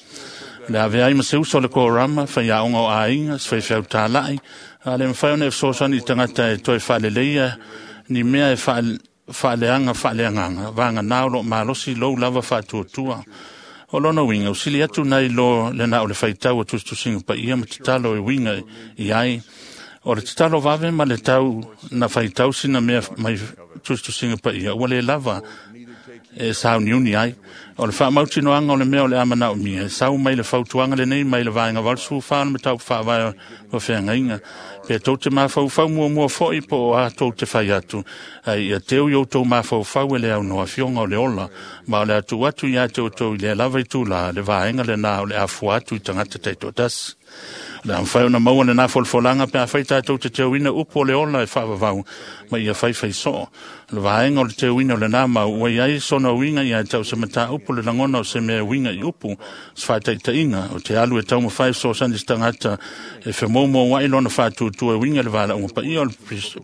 Le ave ai ma se uso o le korama, faiaoga o aiga, se faifeau tāla'i, a le mafai ona e fesoasoani i tagata e toe faaleleia ni mea e faaleaga faaleagaga, vaganā o loo malosi lou lava faatuatua. O lona uiga, usili atu nai lo le na o le faitau o tusitusiga paia ma tatalo e uiga i ai. O le tatalo vave ma le tau na faitau sina mea mai tusitusiga paia, ua le lava e sauniuni ai. O le faamautinoaga o le mea o le a manaomia, e sau mai le fautuaga lenei mai le vaega valusefulu fa o le mataupu faavae o feagaiga. Pe tou te mafaufau muamua fo'i po o a tou te fai atu, ai ia teu i outou mafaufau e le aunoa afioga o le ola, ma o le a tuu atu iā te outou i lea lava itulā le vaega lenā o le a fua atu i tagata taitoatasi. O le a mafai ona maua lenā folafolaga pe afai tatou te teuina upu o le ola e faavavau ma ia faifai soo. O le vaega o le teuina o lenā mau ua iai sona uiga ia te au se mataupu le lagona o se mea e uiga i upu, se faataitaiga o te alu e taumafai fesoasoani i se tagata e femoumoua'i lona faatuatua e uiga i le valaauga paia o le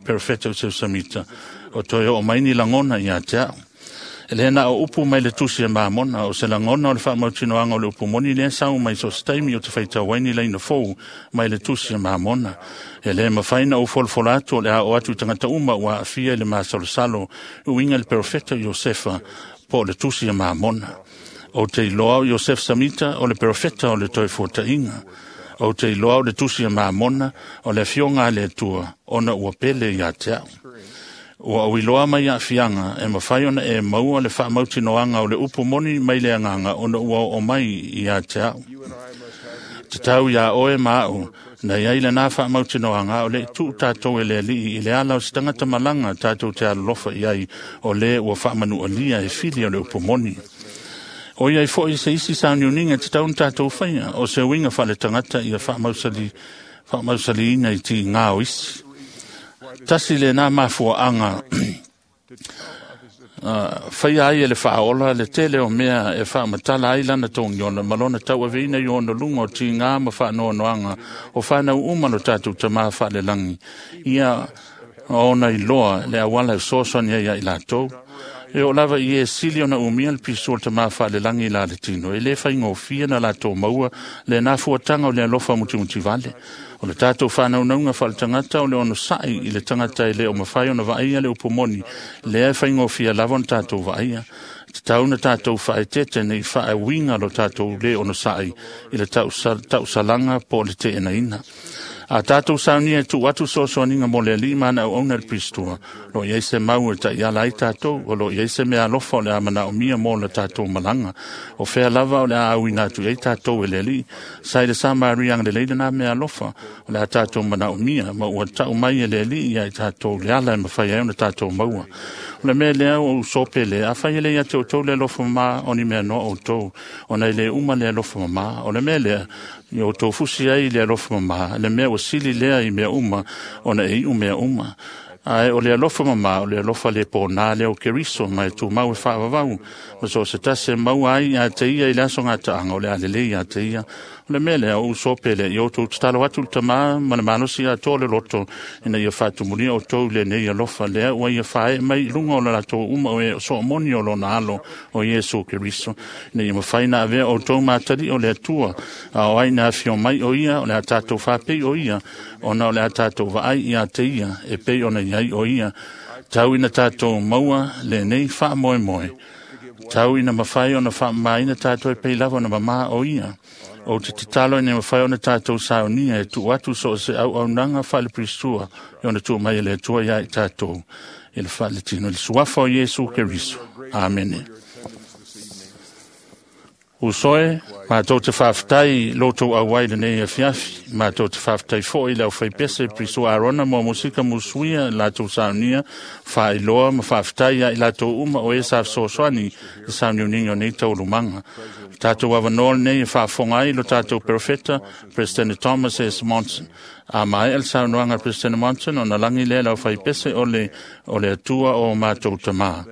perofeta o Seusamita, o toe oo mai ni lagona ia te a'u. E lē na o upu mai le tusi e Mamona, o se lagona o le faamautinoaga o le upu moni lea sau mai so o se taimi o te faitau ai ni laina fou mai le tusi e Mamona. E lē mafai na ou folafola atu o le a oo atu i tagata uma ua aafia i le masalosalo uiga i le perofeta o Iosefa po o le tusi e Mamona. Ou te iloa o Iosef Samita o le perofeta o le toe fuata'iga. Ou te iloa o le tusi e Mamona o le afioga a le Atua ona ua pele iā te a'u. Ua ou iloa mai aafiaga e mafai ona e maua le faamautinoaga o le upu moni mai le agaga ona ua oo mai iā te a'u. Tatau iā oe ma a'u na iai lenā faamautinoaga o le'i tuu tatou e le Alii i le ala o se tagata malaga tatou te alolofa i ai o lē ua faamanualia e fili o le upu moni. O iai fo'i se isi sauniuniga e tatau ona tatou faia, o se uiga faaletagata ia faamausali faamausaliina i tigā o isi. Tasi lenā mafuaaga uh, faia ai e le faaola le tele o mea e faamatala ai lana togiola ma lona tauaveina i ona luga o tigā ma faanoanoaga o fanau uma lo tatou tamā faalelagi ia ona iloa le auala e fesoasoani ai ia i latou. E o lava i e sili ona umia le pisu o le tamā faalelagi la le tino. E le faigofie na latou maua le nafuataga o le alofa mutimutivale. O le tatou whānaunauga whaletangata o le ono sa'i i le tangata e le o mawhai ona vaaia le upumoni. Lea e faigofie lava ona tatou vaaia. Te tau na tatou whaetete nei whaewinga lo tatou le ono sa'i i le tausalaga po le teenaina. A tātou saunia e tu atu soasoaninga mo le alii mana au auna le pristua. Lo iai se mau e tai ala ai tātou, o lo iai se mea alofa o le a mana o mia mo le tātou malanga. O whea lava o le a au ina atu ei tātou e le alii. Sai le sa Maria ang le leila nā mea alofa o le a tātou mana o mia, ma ua tau mai e le alii ia i tātou le ala e mawhai ai o na tātou maua. O le mea lea o usope le, a whai ele ia te o tau le alofa mama o ni mea noa o tau, o na ile uma le alofa mama, o le mea lea, i o tau fusi ai le alofa mama, le mea o sili lea i mea uma, o na e iu mea uma. Ae o le alofa mama, o le alofa le pōnā leo keriso, mai tū mau e whaavavau. Ma so se tase mau ai a te ia i le aso ngā taanga, o le alele ia te ia. O le mea lea o usope le i o tau tatalo atu le tamā, ma le malosi a tō le loto, ina ia whaatumunia o tau le nei alofa lea, ua ia whae mai lunga o le latou uma o e so moni o lona alo o Iesu Keriso. Ina ia mawhai na avea o tau mātari o le atua, a o ai na awhio mai o ia, o le a tātou whapei o ia, o na o le a tātou vaai i a te ia, e pei o na iai o ia. Tau ina tātou maua le nei wha moe moe. Tau ina mawhai o na wha maina tātou e pei lava o na mama o ia. O te tatalo ina mawhai o na tātou saunia e tu atu so se au au nanga whale pristua e ona tu mai e le atua ia i tātou. E le whale tino le suafa o Iesu Keriso. Amene. Usoe, mātou te whawhitai loto au ai le nei afiafi, mātou te whawhitai fo i lau whaipese priso Arona mo musika musuia lātou saunia, whaeloa ma whawhitai ia i lātou uma o e sa sosoani i sauniuninga o nei taulumanga. Tātou awanoa nei e whaafonga ai lo tātou profeta, President Thomas S. Monson. A mai el saunoanga President Monson o na langi lea lau whaipese o le, o le atua o mātou tamā.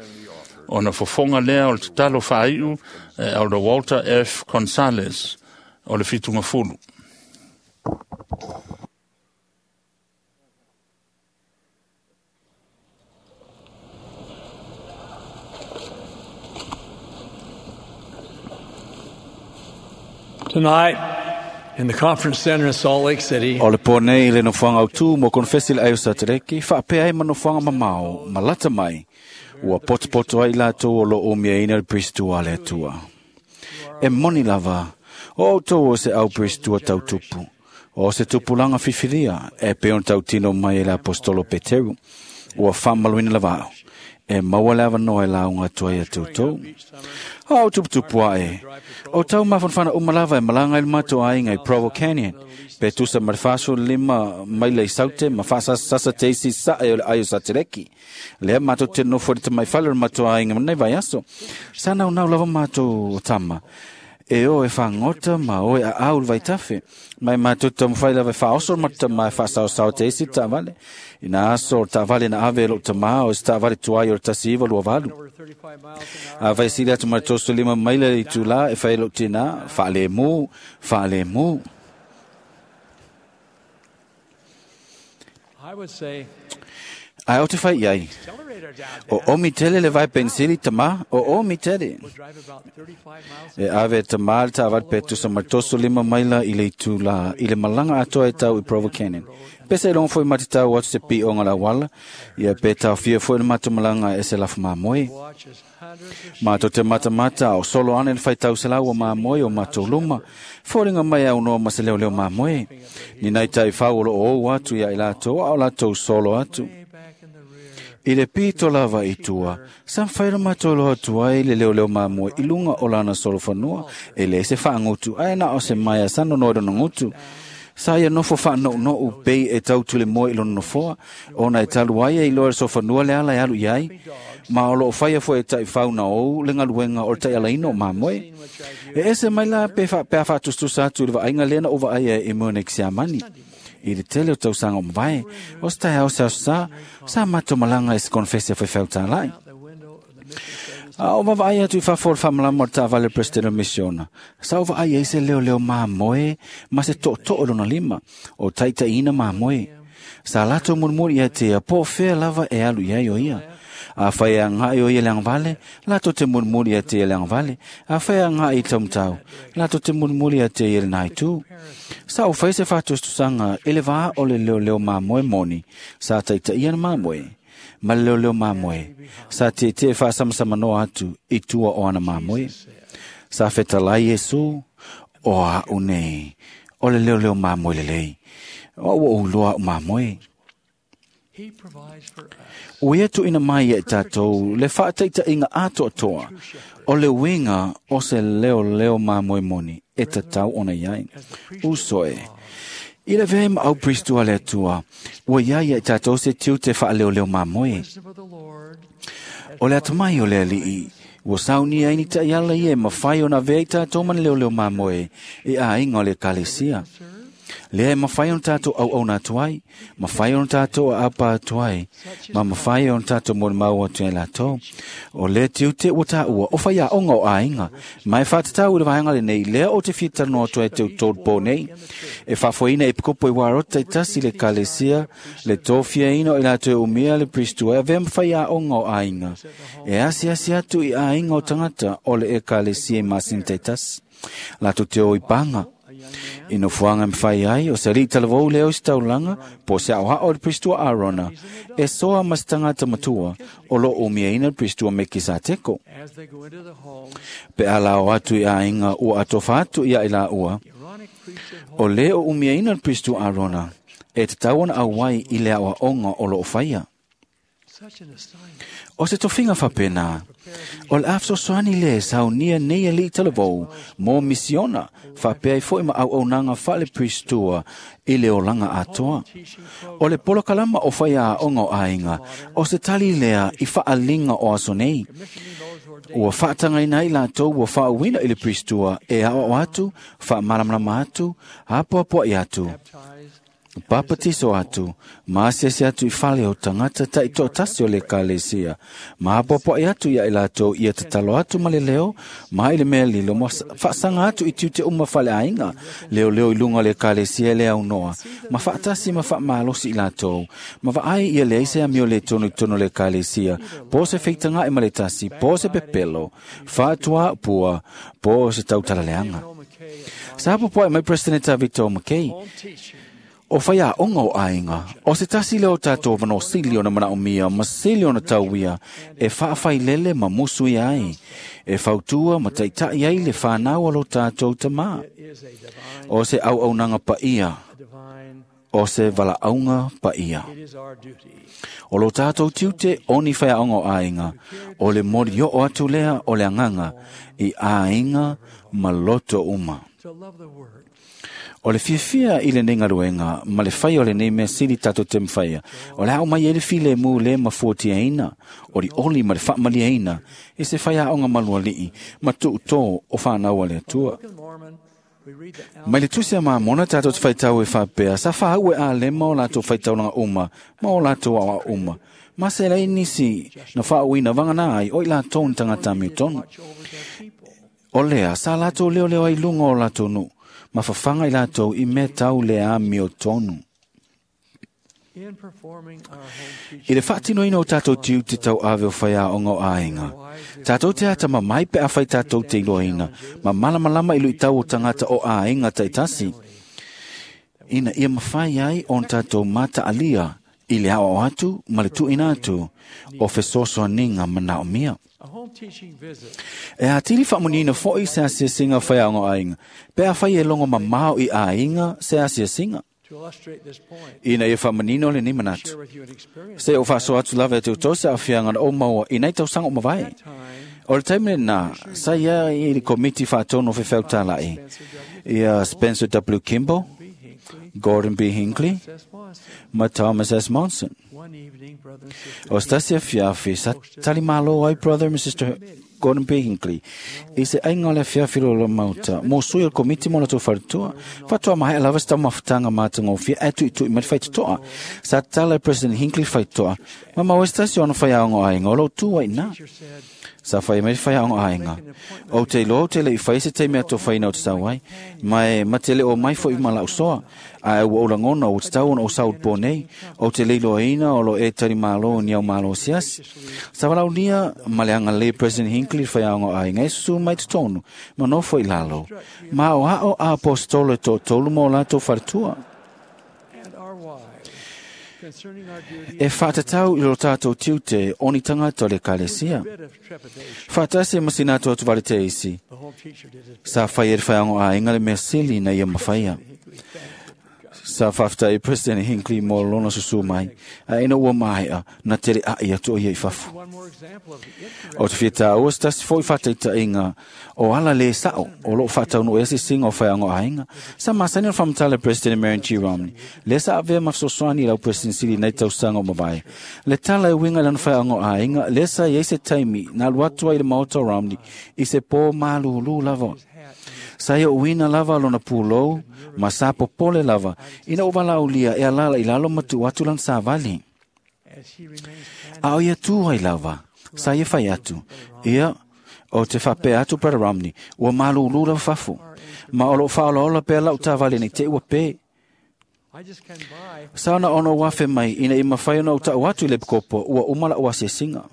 O na fofonga lea o le tatalo whaaiu e o le Walter F. Gonzalez o le Fitunga Fulu. Tonight, in the conference center in Salt Lake City, O le pō nei le nofoanga au tū mo konfesi le aio Satereki, whaapea ai ma nofoanga mamao, ma lata mai, ua potopoto ai lātou o lo o mea ina le pristua le atua. E moni lava, o autou o se au pristua tautupu, o se tupulanga fifilia, e peon tautino mai e le apostolo Peteru, ua whamaluina lava au, e maua le awanoa e launga atua ia tautou. O au tuputupu ae, o tau mafanfana umalava e malanga il mato ainga i Provo Canyon, pe tusa marfaso lima maile i saute, ma whasa sasa teisi sa e o le aio satereki. Lea mato te nofo te mai whale o mato ainga manai vai aso. Sa nau nau lava mato o tama. E o e whangota ma o e a aul vai tafe. Mai mato tamwhai lava e whaoso mata mai whasao sao te isi tāvale. Ina aso tāvale na ave lo tamā o se tāvale tuai o tasi iwa lua valu. A vai sili atu matoso lima maila i tūlā e whai lo tēnā, whaale mū, whaale mū. I would say, Ai o te whai iai. O omi tele le vai pensili tamā, o omi tele. E ave tamā le tāvale petu sa matoso lima maila i le tūlā, i le malanga atoa e tau i Provo Canyon. Pese e longo foi mati tau atu se pi o ngala wala, ia pe tau fia foi le matu malanga e se lafu māmoe. Mātou te matamata o solo ane le whai tau se lau o māmoe o mātou luma, fōringa mai au noa ma se leo leo māmoe. Ni nei tai whau o lo o atu ia i lātou, au lātou solo atu. I le pito lava i tua, sa whaira mātou loa tua i le leo leo māmoe i lunga o lana solo whanua, e le se whaangutu, ae na o se maia sano noa rona ngutu. Sa ia nofo wha no no u pei e tau tule moe i lona nofoa, ona e talu ai e i loa so whanua le ala e alu iai, ma o lo whaia fo e tai whauna ou le ngaluenga o le tai alaino o māmoe. E ese mai la pe wha, pe a whaatustusa atu le vaaiga lena o vaai e mone ki siamani. I le tele o tausaga o mavae, o se taeao se aso sa, sa matou malaga e se konfesi a faifeau tālai. A o vavaai atu i fafo o le faamalama o le taavale President o Misiona. Sa o vaai ai se leoleo māmoe ma se tootoo o lona lima, o taitaiina māmoe. Sa latou mulimuli ia te ia po fea lava e alu iai o ia. A fai a ngai o ia le angavale, latou te mulimuli ia te ia le angavale. A fai a ngai i taumatau, latou te mulimuli ia te ia le naitu. Sa o fai se fa'atustusaga i le vā o le leoleo mamoe moni, sa taitaia na mamoe, ma le leoleo mamoe, sa tietie fa'asamasamanoa atu i tua o ana mamoe. Sa fetalai Iesu, o a'u nei, o le leoleo mamoe lelei, o ua ou iloa a'u mamoe. Ua ia tu'uina mai ia i tatou le fa'ataita'iga atoatoa o le uiga o se leoleo mamoe moni e tatau ona iai. Uso e, i le avea ai ma au Pristu a le Atua, ua iai ia i tatou se tiute fa'aleoleo mamoe. O le atamai o le Ali'i, ua saunia ai ni ta'iala ia e mafai ona avea i tatou ma ni leoleo mamoe i āiga o le Ekalesia. Lea e mafai ona tatou auauna atu ai, mafai ona tatou aapa atu ai, ma mafai ona tatou molimau atu ai latou. O lea tiute ua tāua o faiaoga o aiga, ma e fa'atatau i le vaega lenei, lea o te fia talanoa atu ai te utolu pō nei. E fa'afoeina e pikopo i Warota i tasi le Ekalesia, le tofiaina o i latou e umia le Pristu e avea ma faiaoga o aiga. E asiasi atu i aiga o tagata o le Ekalesia i masina taitasi. Latou te o i paga. I nofoaga e mafai ai, o se ali'i talavou lea o isi taulaga, po o se a'oa'o i le Pristua Arona, e soa ma se tagata matua o lo'o umiaina le Pristua Mekisateko. Pe a lao atu i aiga ua atofa atu ia i laua, o lē o umiaina le Pristua Arona, e tatau ona auai i le a'oa'oga o lo'o faia. O se tofiga fa'apena, o le a fesoasoani lē saunia nei ali'i talavou mo misiona fa'apea ai fo'i ma auaunaga fa'ale-Pristua i le olaga atoa. O le polokalama o faiaoga o aiga, o se tali lea i fa'aliga o aso nei. Ua fa'atagaina ai latou ua fa'auina i le Pristua e a'oa'o atu, fa'amalamalama atu, apoapoa'i atu, papatiso atu, ma asiasi atu i fale o tagata ta'itoatasi o le Ekalesia, ma apoapoa'i atu ia i latou ia tatalo atu ma le leo, ma i le mea lilo, ma fa'asaga atu i tiute uma faleaiga, leoleo i luga o le Ekalesia e le aunoa, ma fa'atasi ma fa'amalosi i latou, ma va'ai ia leai se amio lē tonu i totonu o le Ekalesia, po o se feitaga'i ma le tasi, po o se pepelo, fa'atuā pua, po o se tautalaleaga. Sa apoapoa'i mai Presidenta Victor McKay, o faiaoga o aiga, o se tasi lea o tatou avanoa sili ona mana'omia ma sili ona tauia e fa'afailele ma musu ia ai, e fautua ma ta'ita'i ai le fanau a lo tatou tamā. O se auaunaga pa'ia, o se vala'auga pa'ia. O lo tatou tiute o ni faiaoga o aiga, o le molio'o atu lea o le agaga i aiga ma loto uma. O le fiafia i lenei galuega ma le fai o lenei mea sili tatou te mafaia, o le a aumai ai le filemu lē mafuatiaina, olioli ma le fa'amaliaina i se faiaoga maluali'i ma tu'utō o fanau a le Atua. Mai le Tusi a Mamona tatou te faitau e fa'apea, sa fāu e Alema o latou faitaulaga uma ma o latou aoao uma, ma se lai nisi na fa'auina vaganā ai o i latou ni tagata amiotonu. O lea, sa latou leoleo ai luga o latou nu'u, ma fafaga i latou i mea tau le amiotonu. I le fa'atinoina o tatou tiute tau'ave o faiaoga o aiga, tatou te atamamai pe afai tatou te iloaina, ma malamalama i lu'itau o tagata o aiga ta'itasi, ina ia mafai ai ona tatou mata'alia i le aoao atu ma le tu'uina atu o fesoasoaniga mana'omia. E atili fa'amuniina fo'i se asiasiga faiaoga o aiga, pe afai e logo mamao i aiga se asiasiga. Ina ia fa'amanino lenei manatu, se o fa'asoa atu lava e te utou se a'afiaga na ou maua i nai tausaga o mavae. O le taimi lenā, sa ia i le komiti fa'atonu o fefeutala'i, ia Spencer W. Kimball, Gordon B. Hinckley, ma Thomas S. Monson. O se tasi afiafi, sa talimālō ai Brother and Sister Gordon B. Hinckley i se aiga o le afiafi lo mauta, mo sui o le komiti mo latou faletua, fa'atoa mahe'a lava se taumafataga matagofie ae tu'itu'i mai le faitoto'a. Sa tatala e President Hinckley faitoto'a, ma maua se tasi o ona faiaoga o aiga o lo'o tu ai inā. Sa whai mai whai aonga ainga. O te iloa o te lei whai se te mea tō whaina o te sau ai. Mai matele o mai fo i mala usoa. A e ua olangona o te tau ona o sau po nei. O te leilo aina o lo e tari malo ni au malo siasi. Sa walau nia maleanga le President Hinckley whai aonga ainga e susu mai te tonu. Ma nofo i lalo. Ma o ao a apostolo e tō tolu mō lātou wharatua. E whātatau i ro tātou tiute oni tangata o le kalesia. Whātase masina atu atu vare te isi. Sa whai e whaiango a ingale mea sili na ia mawhaia. Sa whafta e President Hinckley mō lona susu mai. A ina ua maea na tere a ia to ia i fafu. O te whita ua stasi fo i whataita inga o ala le sao o lo whatau no esi singa o whaiango a inga. Sa masani o whamtala President Marion G. Romney. Le sa avea mafsoswani lau President Sili nei tausaga o mavae. Le tala e winga lana whaiango a inga. Le sa i se taimi na luatua i le maota o Romney i se pō malulu lava. Sa ia uina lava lona pūlou, ma sa popole lava, ina o ulia e alala i lalo matu atu lan sa vali. A o ia tūhai lava, sa ia whai atu, ia o te whapea atu Brother Romney, ua malulu lava fafu, ma o lo whaolaola pea lau tā vali nei te ua pē. Sa ona ono wafe mai, ina i mawhai ona o tau atu i le pkopo, ua umala ua sesinga.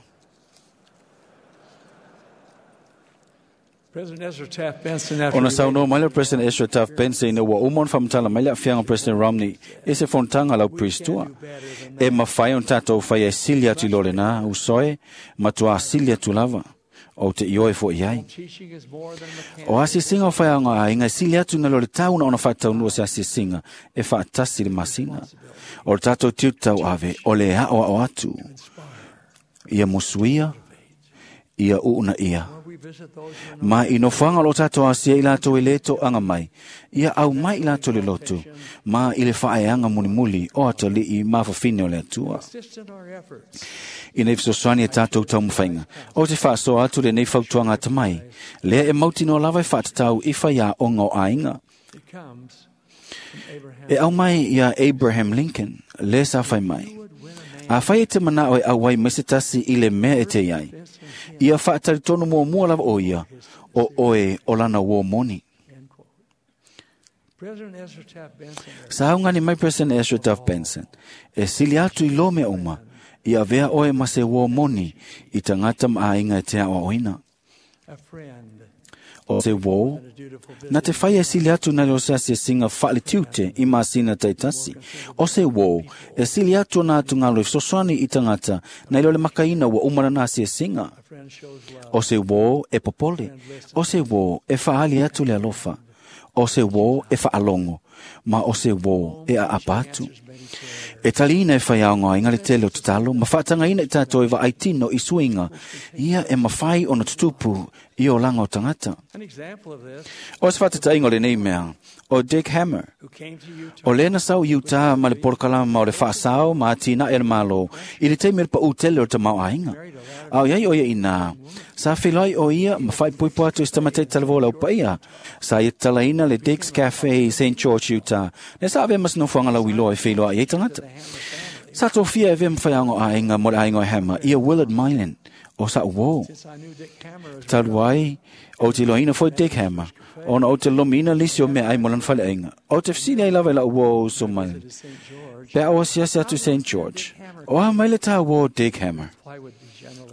Ona saunoa mai le President Ezra Taft Benson ina ua uma ona faamatala mai le aafiaga o President Romney e se fonotaga lau Priestua. E mafai ona tatou faia e sili atu i lo lenā usoe matuā sili atu lava o te ioe foʻi ai. O asiasiga o faiaoga aiga e sili atu na lo le tauna ona faataunua se asiasiga e faatasi le masina. O le tatou tiutau ave o le aʻoaʻo atu ia musuia ia uuna ia. Ma i nofoaga o lo tatou asia i latou e lē toʻaga mai, ia au mai i latou le lotu, ma i le faaeaga mulimuli o atalii mafafine o le Atua. Ina i fesoasoani e tatou taumafaiga, o te faasoa atu lenei fautuaga atamai, lea e mautinoa lava e faatatau i faiaoga o aiga. E au mai ia Abraham Lincoln, le sa fai mai. A fai e te manao e auai mai se tasi i le mea e te iai. Ia whaataritono mua mua lava o ia, o oe o lana uo moni. Sa aungani mai President Ezra Taft Benson, e sili atu i lo mea uma, ia avea oe ma se uo moni i tangata maainga e te aoaoina. O se uo, na te whai e sili atu na leo se asiasinga whaale tiute i masina taitasi. O se uo, e sili atu na atu ngalo i fesoasoani i tangata na ilo le makaina ua umara na asiasinga. O se uo e popole, o se uo e whaali atu le alofa, o se uo e whaalongo, ma o se uo e aapa atu. E taliina e whaiaonga inga le tele o tatalo, ma whaatangaina i tātou e vaaitino i suinga, ia e mawhai ona tutupu i o langa o tangata. O se whaatatainga o lenei mea, o Dick Hammer, o lena sau i Utah ma le porokalama o le whaasao ma tina e le malo, i le teimi le pa utele o te mau ainga. A o iai o ia ina, sa whilai o ia ma whai puipo atu i stamatei talavola o paia, sa ia talaina le Dick's Cafe i Saint George, Utah, le sa ave masinofuanga lau iloa e whiloa i tangata. Sa tōfia e vea mwhaiango a inga mo le aingo e Hammer, ia Willard Milan, o sa uo. Talu ai, o te loina foi Dick Hammer, ona o te lomina lisi o mea ai mo lan whale ainga. O te whsini ai lava i la uo so Milan. Pea o siasi atu Saint George. O a mai le tā uo Dick Hammer.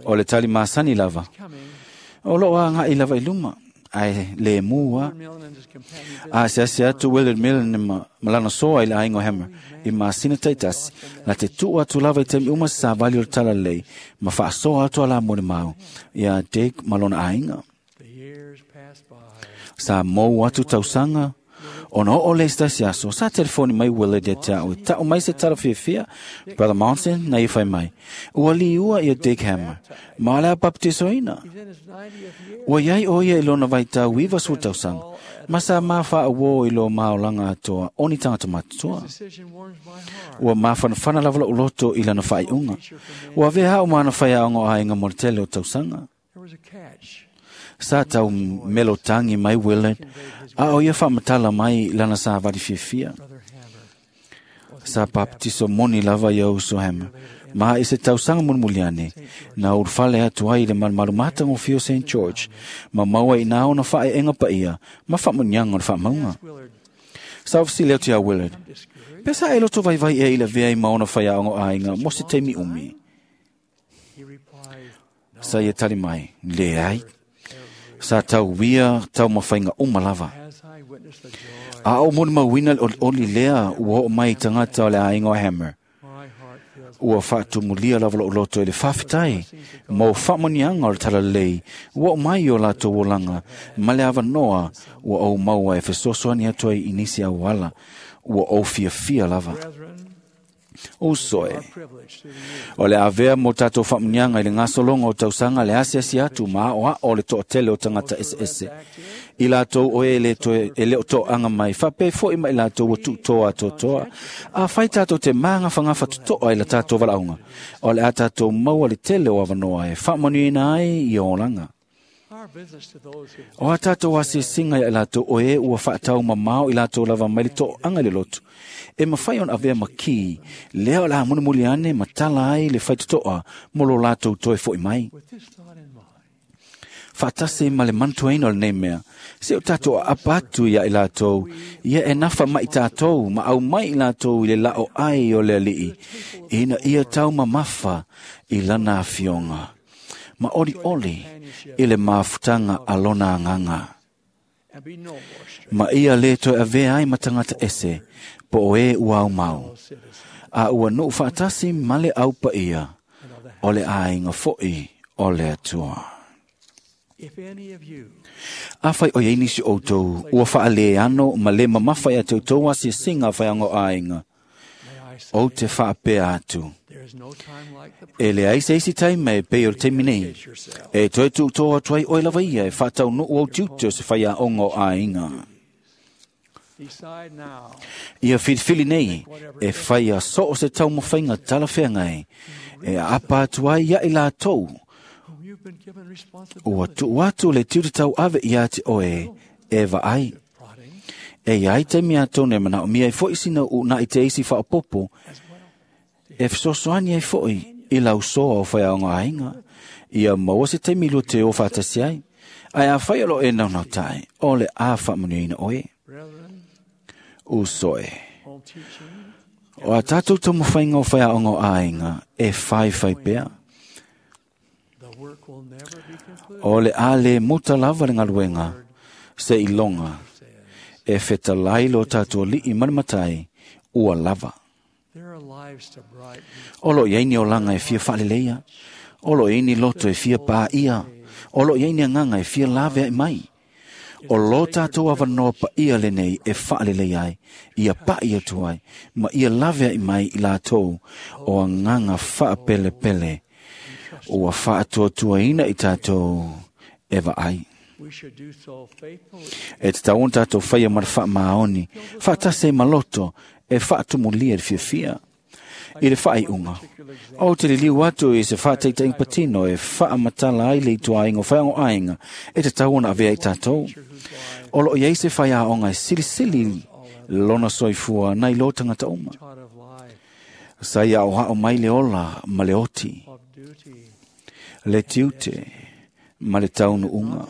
O le tali masani lava. O lo a ngai lava i luma. Ai le mua. A siasi atu Willard Millen ma malana soa i le aingo Hammer. I masina taitasi. La te tuu atu lava i temi uma sa vali o le tala lei. Ma faasoa atu ala mo le mau. Ia Dick malona ainga. Sa mou atu tausanga. Ona o le stasi aso, sa telefoni mai Willard e te au. Tau mai se tala fiafia, Brother Monson, na i whai mai. Ua li ua ia Dick Hammer, ma lea baptisoina. Ua iai o ia i lona vai tau iwa su tausanga, ma sa mawha a wō i lo maolanga atoa, oni tangata matutua. Ua mawhanawhana lava lau loto i lana whai unga. Ua vea o mana whai aongo ainga mo le tele o tausanga. Sa tau melo tangi mai Willard, a o ia whaamatala mai lana sa wari fiafia. Sa baptiso moni lava ia uso Hammer. Ma i se tausaga mulimuli ane, na ulufale atu ai i le malumalu matagofie o Saint George, ma maua i nā ona faaeega paia ma faamuniaga o le faamauga. Sa ofisili atu iā Willard, pe sa e loto vaivai ea i le avea ai ma ona faiaoga o aiga mo se taimi umi. Sa ia tali mai, leai. Sa tauia taumafaiga uma lava. A o molimauina le olioli lea ua oo mai i tagata o le aiga o Hammer. Ua faatumulia lava lou loto i le faafetai mo faamanuiaga o le talalelei ua oo mai i o latou olaga ma le avanoa ua ou maua e fesoasoani atu ai i nisi auala ua ou fiafia lava. Uso e, o le avea mo tatou faamuniaga i le gasologa o tausaga le asiasi atu ma aoao o le toatele o tagata eseese. I latou o e le toe e le o toaga mai, faapea foi ma i latou ua tuutoa atoatoa. Afai tatou te magafagafa totoa i la tatou valaauga, o le a tatou maua le tele o avanoa e faamanuiaina ai i olaga. O a tatou asiasiga ia i latou o e ua faatau mamao i latou lava mai le toaga i le lotu, e mafai ona avea ma ki, lea o le a mulimuli ane ma tala ai le faitotoa mo lo latou toe foi mai. Faatasi ma le manatuaina o lenei mea, se o tatou aapa atu ia i latou, ia e nafa mai tatou ma au mai i latou i le lao ai o le alii, ina ia taumamafa i lana afioga, ma olioli i le mafutaga a lona agaga. Ma ia le toe avea ai ma tagata ese, po o e ua aumau. A ua nuu faatasi ma le au paia, o le aiga foi o le Atua. Afai o iai nisi o outou ua faaleano ma le mamafa ia te outou asiasiga a faiaoga o aiga, ou te faapea atu, e leai se isi taimi e pei o le taimi nei, e toe tuutoa atu ai oe lava ia e faataunuu au tiute o se faiaoga o aiga. Ia filifili nei e faia so o se taumafaiga talafeagai e aapa atu ai ia i latou ua tuu atu le tiute tauave ia te oe e vaai. E iai taimi atonu e manaomia ai foi sina uunai te isi faaopoopo e fesoasoani ai foi i lausoa o faiaoga aiga, ia maua se taimi lua te o faatasi ai. Ae afai o loo e naunautai, o le a faamanuiaina oe. Uso e, o a tatou taumafaiga o faiaoga o aiga e faifai pea. O le a le muta lava le galuega se iloga e fetalai lo tatou alii ma le matai ua lava. O loo iai ni olaga e fia faaleleia, o loo iai ni loto e fia paia, o loo iai ni agaga e fia laveai mai. O lo tatou avanoa paia lenei e faaleleia ai, ia pai atu ai, ma ia laveai mai i latou o agaga faapelepele ua faatuatuaina i tatou e vaai. E tatau ona tatou faia ma le faamaoni, faatasi ai ma loto e faatumulia i le fiafia. I le faaiuga, ou te liliu atu i se faataitaiga patino e faamatala ai le ituaiga o faiaoga o aiga e tatau ona avea i tatou. O loo iai se faiaoga e silisili lona soifua nai lo tagata uma. Sa ia aoao mai le ola ma le oti, le tiute ma le taunuuga.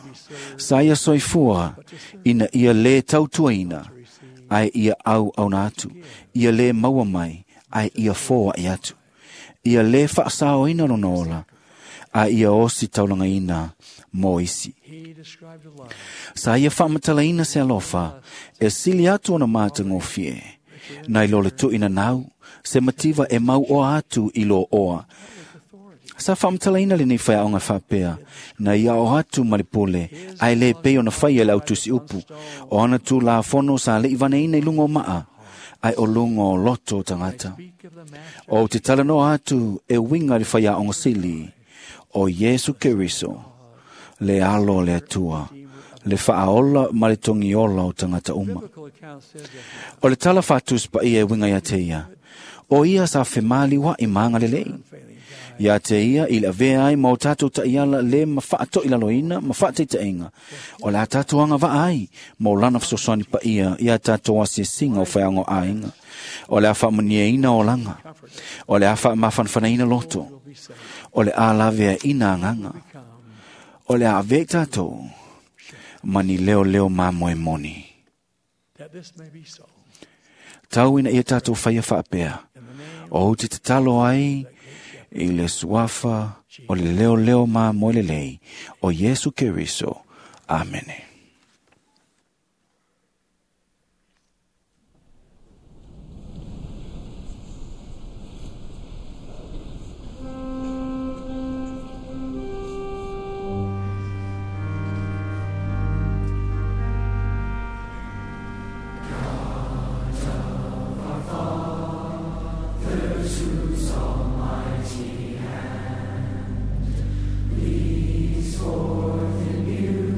Sa ia soifua ina ia le tautuaina, ae ia auauna atu, ia le maua mai, ae ia foai atu. Ia le faasaoina lona ola, a ia osi taulagaina mo isi. Sa ia faamatalaina se alofa e sili atu ona matagofie, nai lo le tuuina nau, se mativa e mau oa atu i lo oa. Sa faamatalaina lenei faiaoga faapea, na ia o atu ma le pule, ae le pei ona faia le autusi upu, o ana tulafono sa lei vaneina i luga o maa, ae o luga o loto o tagata. O te talanoa atu e uiga i le faiaoga sili, o Iesu Keriso, le alo o le Atua, le faaola ma le togiola o tagata uma. O le tala faatusi paia e uiga ia te ia, O ia sa femāliuaʻi ma agalelei. Ia te ia i le avea ai ma o tātou taʻiala le ma faatoʻilaloina ma faataitaʻiga. O le a tātou agavaʻa ai ma o lana fesoasoani paia ia tātou asiasiga o faiaoga o aiga. O le a faamanuiaina olaga. O le a faamafanafanaina loto. O le a laveaʻina agaga. O le a avea i tātou ma ni leoleo mamoe moni. Tau ina ia tātou faia faapea. O ou te tatalo ai i le suafa o le leoleo mamoe lelei o Iesu Keriso. Amene. Forth in beauty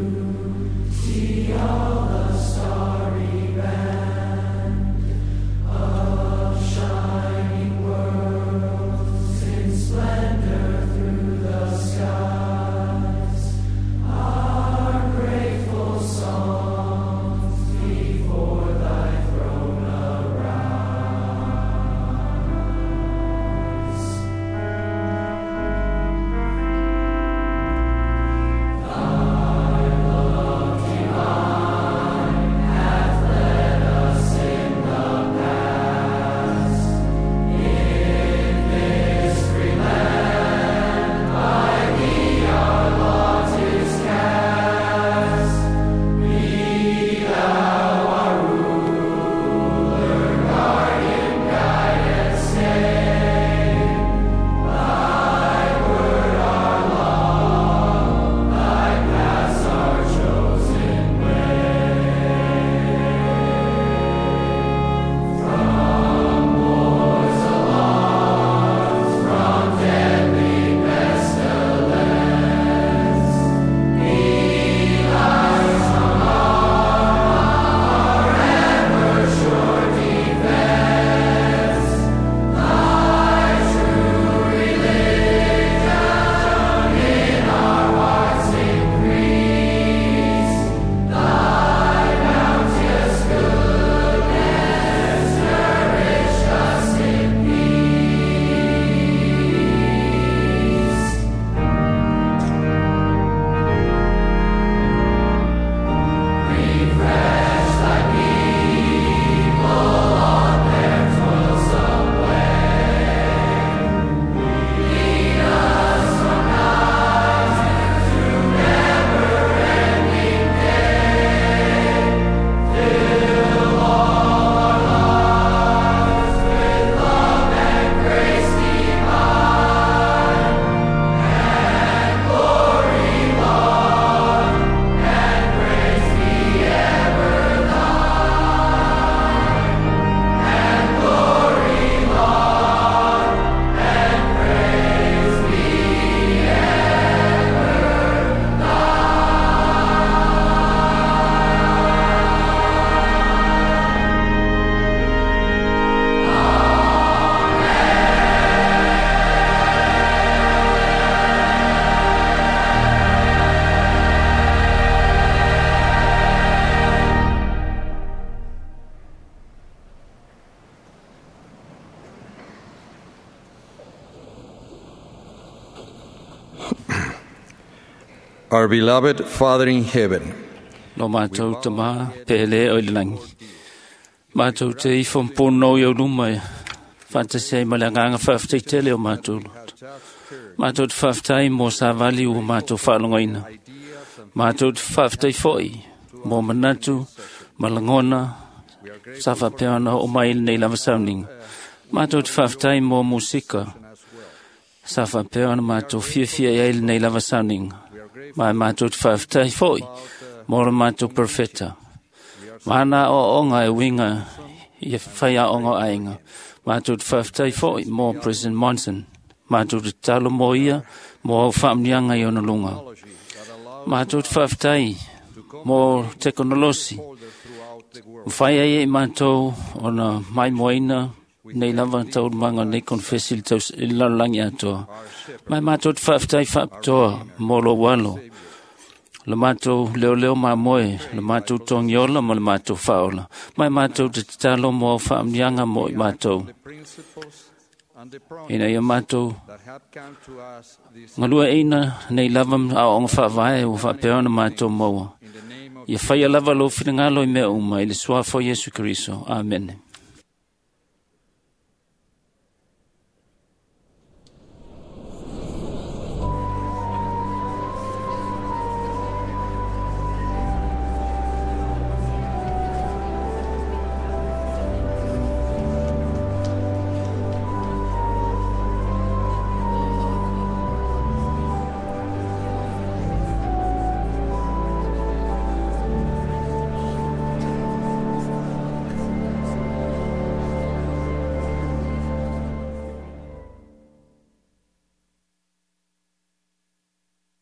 Our beloved Father in heaven, Lo mātou tamā pele o le langi. Mātou te ifo mpono i au luma e whantasi ai ma le anganga whaaftai tele o mātou loto. Mātou te whaaftai mō sāvali o mātou whaalongaina. Mātou te whaaftai foi mō manatu, malangona, sa whapeana o mai nei lava sauninga. Mātou te whaaftai mō musika, sa whapeana mātou fiafia i nei lava sauninga. Mai mātou te whaaftai foi mō ra mātou perfeta. Mana o onga e winga i e whai a onga ainga. Mātou te whaaftai foi mō President Monson. Mātou te talo mō ia, mō au whaamnianga i ona lunga. Mātou te whaaftai mō tekonolosi. Mwhai ai e mātou ona maimoina Nei lava taualumaga o lenei konefesi i le taus- i le lalolagi atoa. Ma e matou te faafetai faapitoa mo lou alo, le matou leoleo mamoe, le matou togiola ma le matou faaola. Ma e matou te tatalo mo au faamanuiaga mo i matou. Ina ia matou galueaiina nei lava aoaoga faavae ua faapea ona matou maua. Ia faia lava lou finagalo i mea uma i le suafa o Iesu Keriso. Amene.